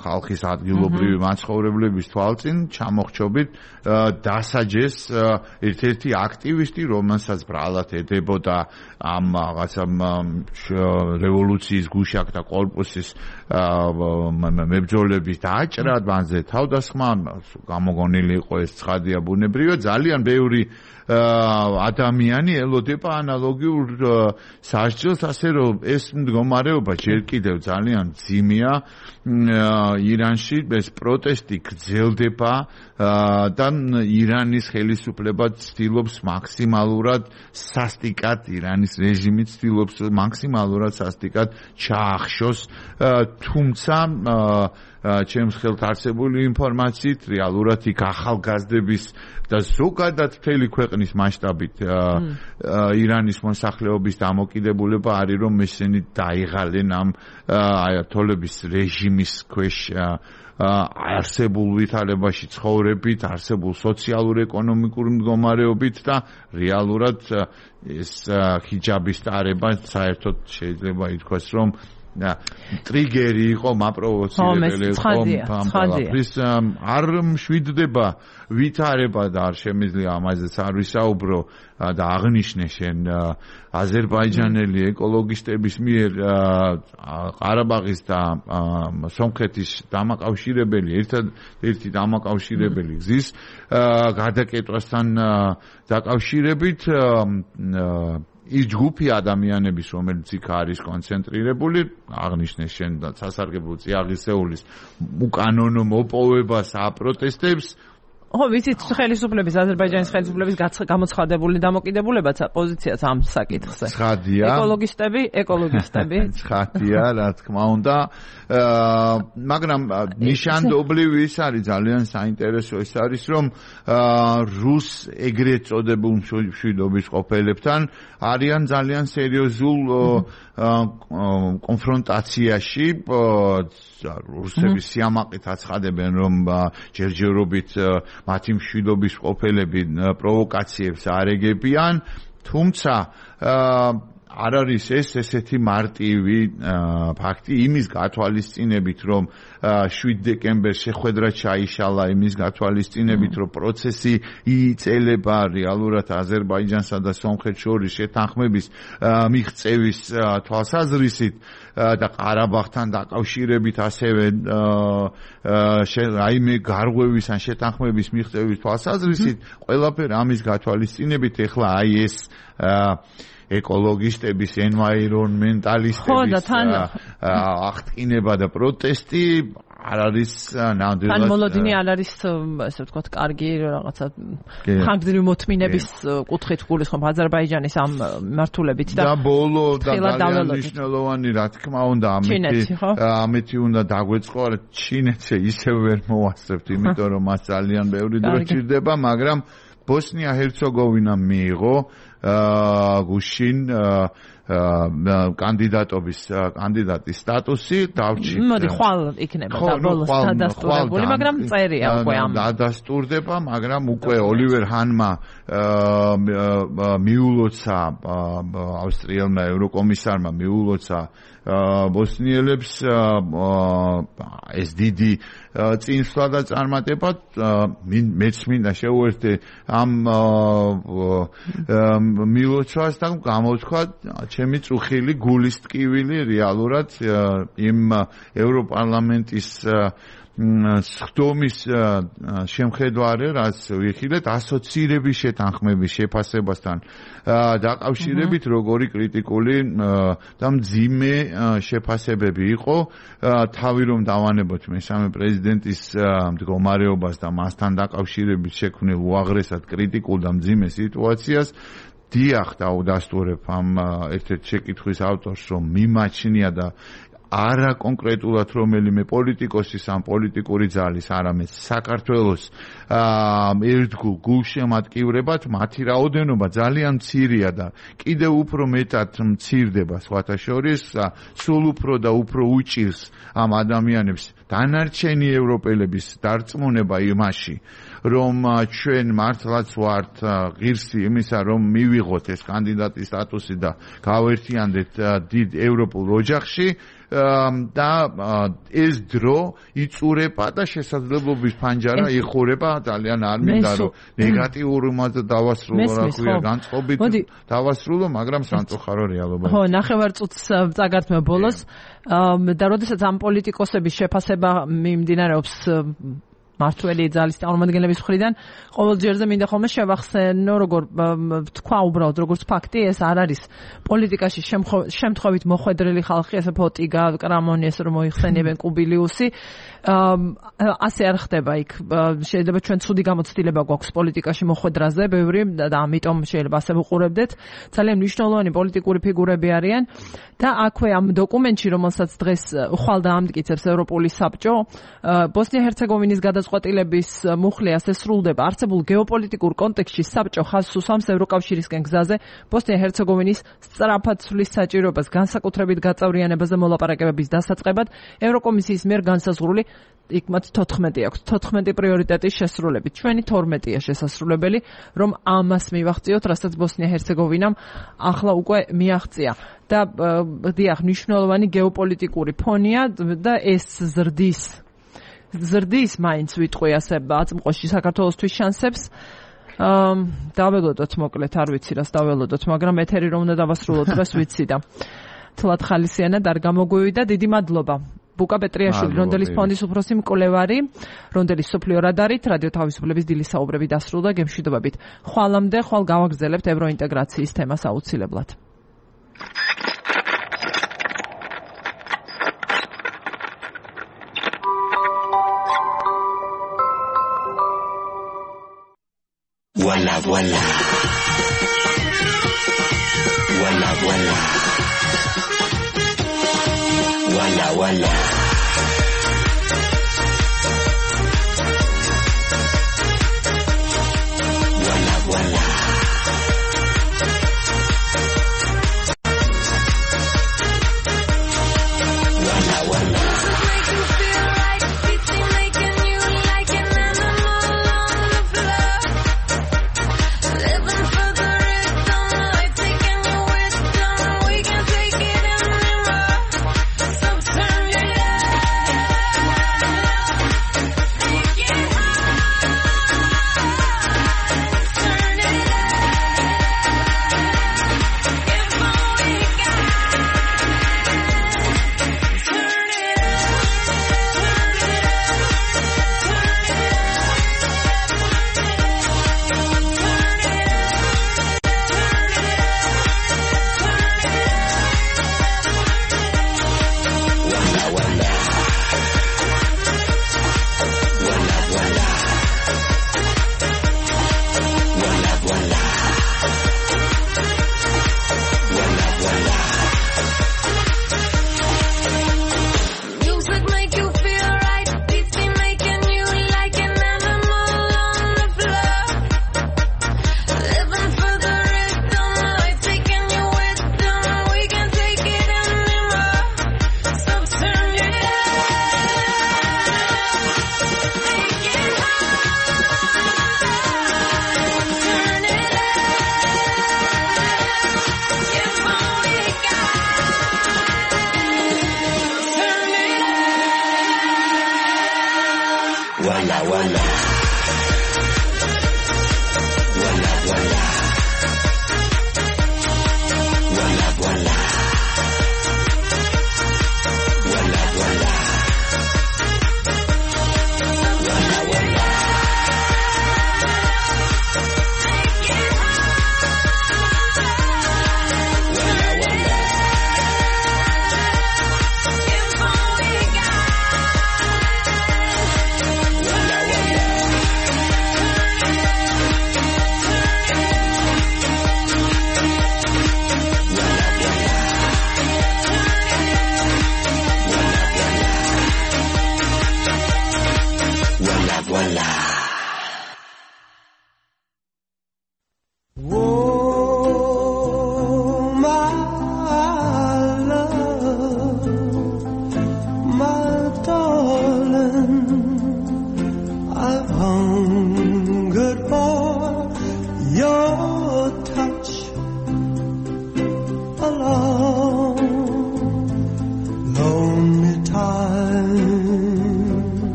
ხალხის ადგილობრივი მაცხოვრებლების თვალწინ ჩამოხრჩობით დასაჯეს ერთ-ერთი აქტივისტი, რომელსაც ბრალად ედებოდა ამ რაღაცა რევოლუციის გუშაკთა კორპუსის მებრძოლების დაჭრა, მანზე თავდასხმა, გამოგონილი იყო ეს ცხადია ბუნებრივია, ძალიან ბევრი ადამიანი ელოდება ანალოგიურ სასჯელს, ასე რომ ეს მდგომარეობა ჯერ კიდევ ძალიან ძიმეა ირანში, ეს პროტესტი გრძელდება და ირანის ხელისუფლება ცდილობს მაქსიმალურად სასტიკად, ირანის რეჟიმი ცდილობს მაქსიმალურად სასტიკად ჩაახშოს, თუმცა ჩემს ხელთ არსებული ინფორმაციით რეალურად იქ ახალგაზრდების და ზოგადად მთელი ქვეყნის მასშტაბით ირანის მოსახლეობის დამოკიდებულება არის, რომ ესენი დაიღალენ ამ აიათოლების რეჟიმის ქვეშ არსებულ ვითარებაში ცხოვრებით, არსებულ სოციალურ-ეკონომიკურ მდგომარეობით და რეალურად ეს ჰიჯაბის ტარება საერთოდ შეიძლება ითქვას, რომ ტრიგერი იყო, მაპროვოცირებელი იყო ამბალაფრის არ მშვიდდება ვითარება და არ შემიძლია ამაზეც არ ვისაუბრო და აღნიშნე შენ აზერბაიჯანელი ეკოლოგისტების მიერ ყარაბაღის და სომხეთის დამაკავშირებელი ერთადერთი დამაკავშირებელი გზის გადაკეთვასთან დაკავშირებით ის ჯგუფი ადამიანების, რომელიც იქ არის კონცენტრირებული, აღნიშნე შენ სასარგებლო წიაღისეულის უკანონო მოპოვებას აპროტესტებს. ვიცით, ხელისუფლების, აზერბაიჯანის ხელისუფლების გამოცხადებული დამოკიდებულებაც პოზიციაც ამ საკითხზე. ცხადია. ეკოლოგისტები. ცხადია, რა თქმა უნდა. მაგრამ ნიშანდობლივი ის არის, ძალიან საინტერესო ის არის, რომ რუს ეგრეთ წოდებულ მშვიდობის ყოფილებთან არიან ძალიან სერიოზულ კონფრონტაციაში. რუსების სიამაყით აცხადებენ, რომ ჯერჯერობით მათი მშვიდობის ყოფილები პროვოკაციებს არეგებიან, თუმცა არ არის ესეთი მარტივი ფაქტი იმის გათვალისწინებით, რომ 7 დეკემბერს შეხვედრა ჩაიშალა, იმის გათვალისწინებით, რომ პროცესი იიწელება რეალურად აზერბაიჯანსა და სომხეთს შორის შეთანხმების მიღწევის თვალსაზრისით და ყარაბაღთან დაკავშირებით ასევე რაიმე გარღვევის ან შეთანხმების მიღწევის თვალსაზრისით, ყველაფერი ამის გათვალისწინებით ეხლა აი ეს ეკოლოგისტების, environmentalistების აღტკინება და პროტესტი არ არის ნამდვილად. ან მოლოდინი არ არის, ასე ვთქვათ, კარგი რაღაცა ხანგრძლივი მოთმინების კუთხით გულისხმობ აზერბაიჯანის ამ მართულებით და ბოლო და ძალიან მნიშვნელოვანი, რა თქმა უნდა, ამეთი უნდა დაგვეწყო, ჩინეთს ისევ ვერ მოვასწრებთ, იმიტომ რომ მას ძალიან ბევრი დრო სჭირდება, მაგრამ ბოსნია-ჰერცეგოვინამ მიიღო გუშინ კანდიდატის სტატუსი დავრჩით. მოდი ხვალ იქნება და ბოლოს დადასტურებული, მაგრამ წერია უკვე ამ დადასტურდება, მაგრამ უკვე ოლივერ ჰანმა მიულოცა ავსტრიელმა ევროკომისარმა მიულოცა ბოსნიელებს ეს დიდი წინსვლა და წარმატება მეც მინდა შევუერთდე ამ მილოცვას და გამოთქვა ჩემი წუხილი გულის ტკივილი რეალურად იმ ევროპარლამენტის სხდომის შემხედვარე, რაც ვიხილეთ ასოცირების შეთანხმების შეფასებასთან დაკავშირებით, როგორი კრიტიკული და მძიმე შეფასებები იყო, თავი რომ დავანებოთ მესამე პრეზიდენტის მდგომარეობას და მასთან დაკავშირებით შექმნილ უაღრესად კრიტიკულ და მძიმე სიტუაციას, დიახ დავდასტურებ ამ ერთ-ერთ შეკითხვის ავტორს, რომ მიმაჩნია და არა კონკრეტულად რომელიმე პოლიტიკოსის ან პოლიტიკური ძალის, არამედ საქართველოს ერთგულ გულშემატკივრებად მათი რაოდენობა ძალიან მცირეა და კიდევ უფრო მეტად მცირდება სხვათა შორის, სულ უფრო და უფრო უჭირს ამ ადამიანებს დანარჩენი ევროპელების დარწმუნება იმაში, რომ ჩვენ მართლაც ვართ ღირსი იმისა, რომ მივიღოთ ეს კანდიდატის სტატუსი და გავერთიანდეთ დიდ ევროპულ ოჯახში და ეს დრო იწურება და შესაძლებლობის ფანჯარა იხურება ძალიან არ მინდა რომ ნეგატიურულად დავასრულო რა ქვია განწყობით დავასრულო მაგრამ სამწუხარო რეალობა ხო ნახევარწუთს წაგართმევ ბოლოს და როდესაც ამ პოლიტიკოსების შეფასება მიმდინარეობს მართველი ძალის წარმომადგენლების მხრიდან ყოველჯერზე მინდა ხოლმე შევახსენო როგორ თქვა უბრალოდ როგორც ფაქტი ეს არ არის პოლიტიკაში შემთხვევით მოხვედრილი ხალხი ესე ფოტიგა კრამონი ეს რომ მოიხსენიებენ კუბილიუსი ასე არ ხდება იქ შეიძლება ჩვენ ცუდი გამოცდილება გვაქვს პოლიტიკაში მოხვედრაზე ბევრი და ამიტომ შეიძლება ასე ვუყურებდეთ ძალიან მნიშვნელოვანი პოლიტიკური ფიგურები არიან და აქვე ამ დოკუმენტში რომელსაც დღეს ხვალ დაამტკიცებს ევროპული საბჭო ბოსნია-ჰერცეგოვინის გადაწყვეტილების მუხლი ასე სრულდება არსებულ გეოპოლიტიკურ კონტექსტში საბჭო ხაზს უსვამს ევროკავშირისკენ გზაზე ბოსნია-ჰერცეგოვინის სწრაფად ცვლის საჭიროებას განსაკუთრებით გაწევრიანებაზე მოლაპარაკებების დასაწყებად ევროკომისიის მიერ განსაზღვრული იქ მათ 14 აქვს 14 პრიორიტეტის შესრულებით ჩვენი 12-ია შესასრულებელი რომ ამას მივახციოთ რასაც ბოსნია-ჰერცეგოვინამ ახლა უკვე მიაღწია და დიახ მნიშვნელოვანი გეოპოლიტიკური ფონია და ეს ზრდის მაინც ვიტყვი ასე აწმყოში საქართველოსთვის შანსებს დაველოდოთ მოკლედ არ ვიცი რას დაველოდოთ მაგრამ ეთერი რომ უნდა დავასრულოთ დღეს ვიცი და თლად ხალისიანად არ გამოგვივიდა დიდი მადლობა ბუკა პეტრიაშვილი რონდელის ფონდის უფროსი მკვლევარი რონდელის სოფლიო რადარით რადიო თავისუფლების დილის საუბრები დასრულდა გემშვიდობებით ხვალამდე ხვალ გავაგრძელებთ ევროინტეგრაციის თემას აუცილებლად Voila, voila. Voila, voila. Voila, voila. Voila, voila. Voila, voila. Walla walla. Walla walla. Walla walla. Walla walla. Walla walla.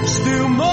Still more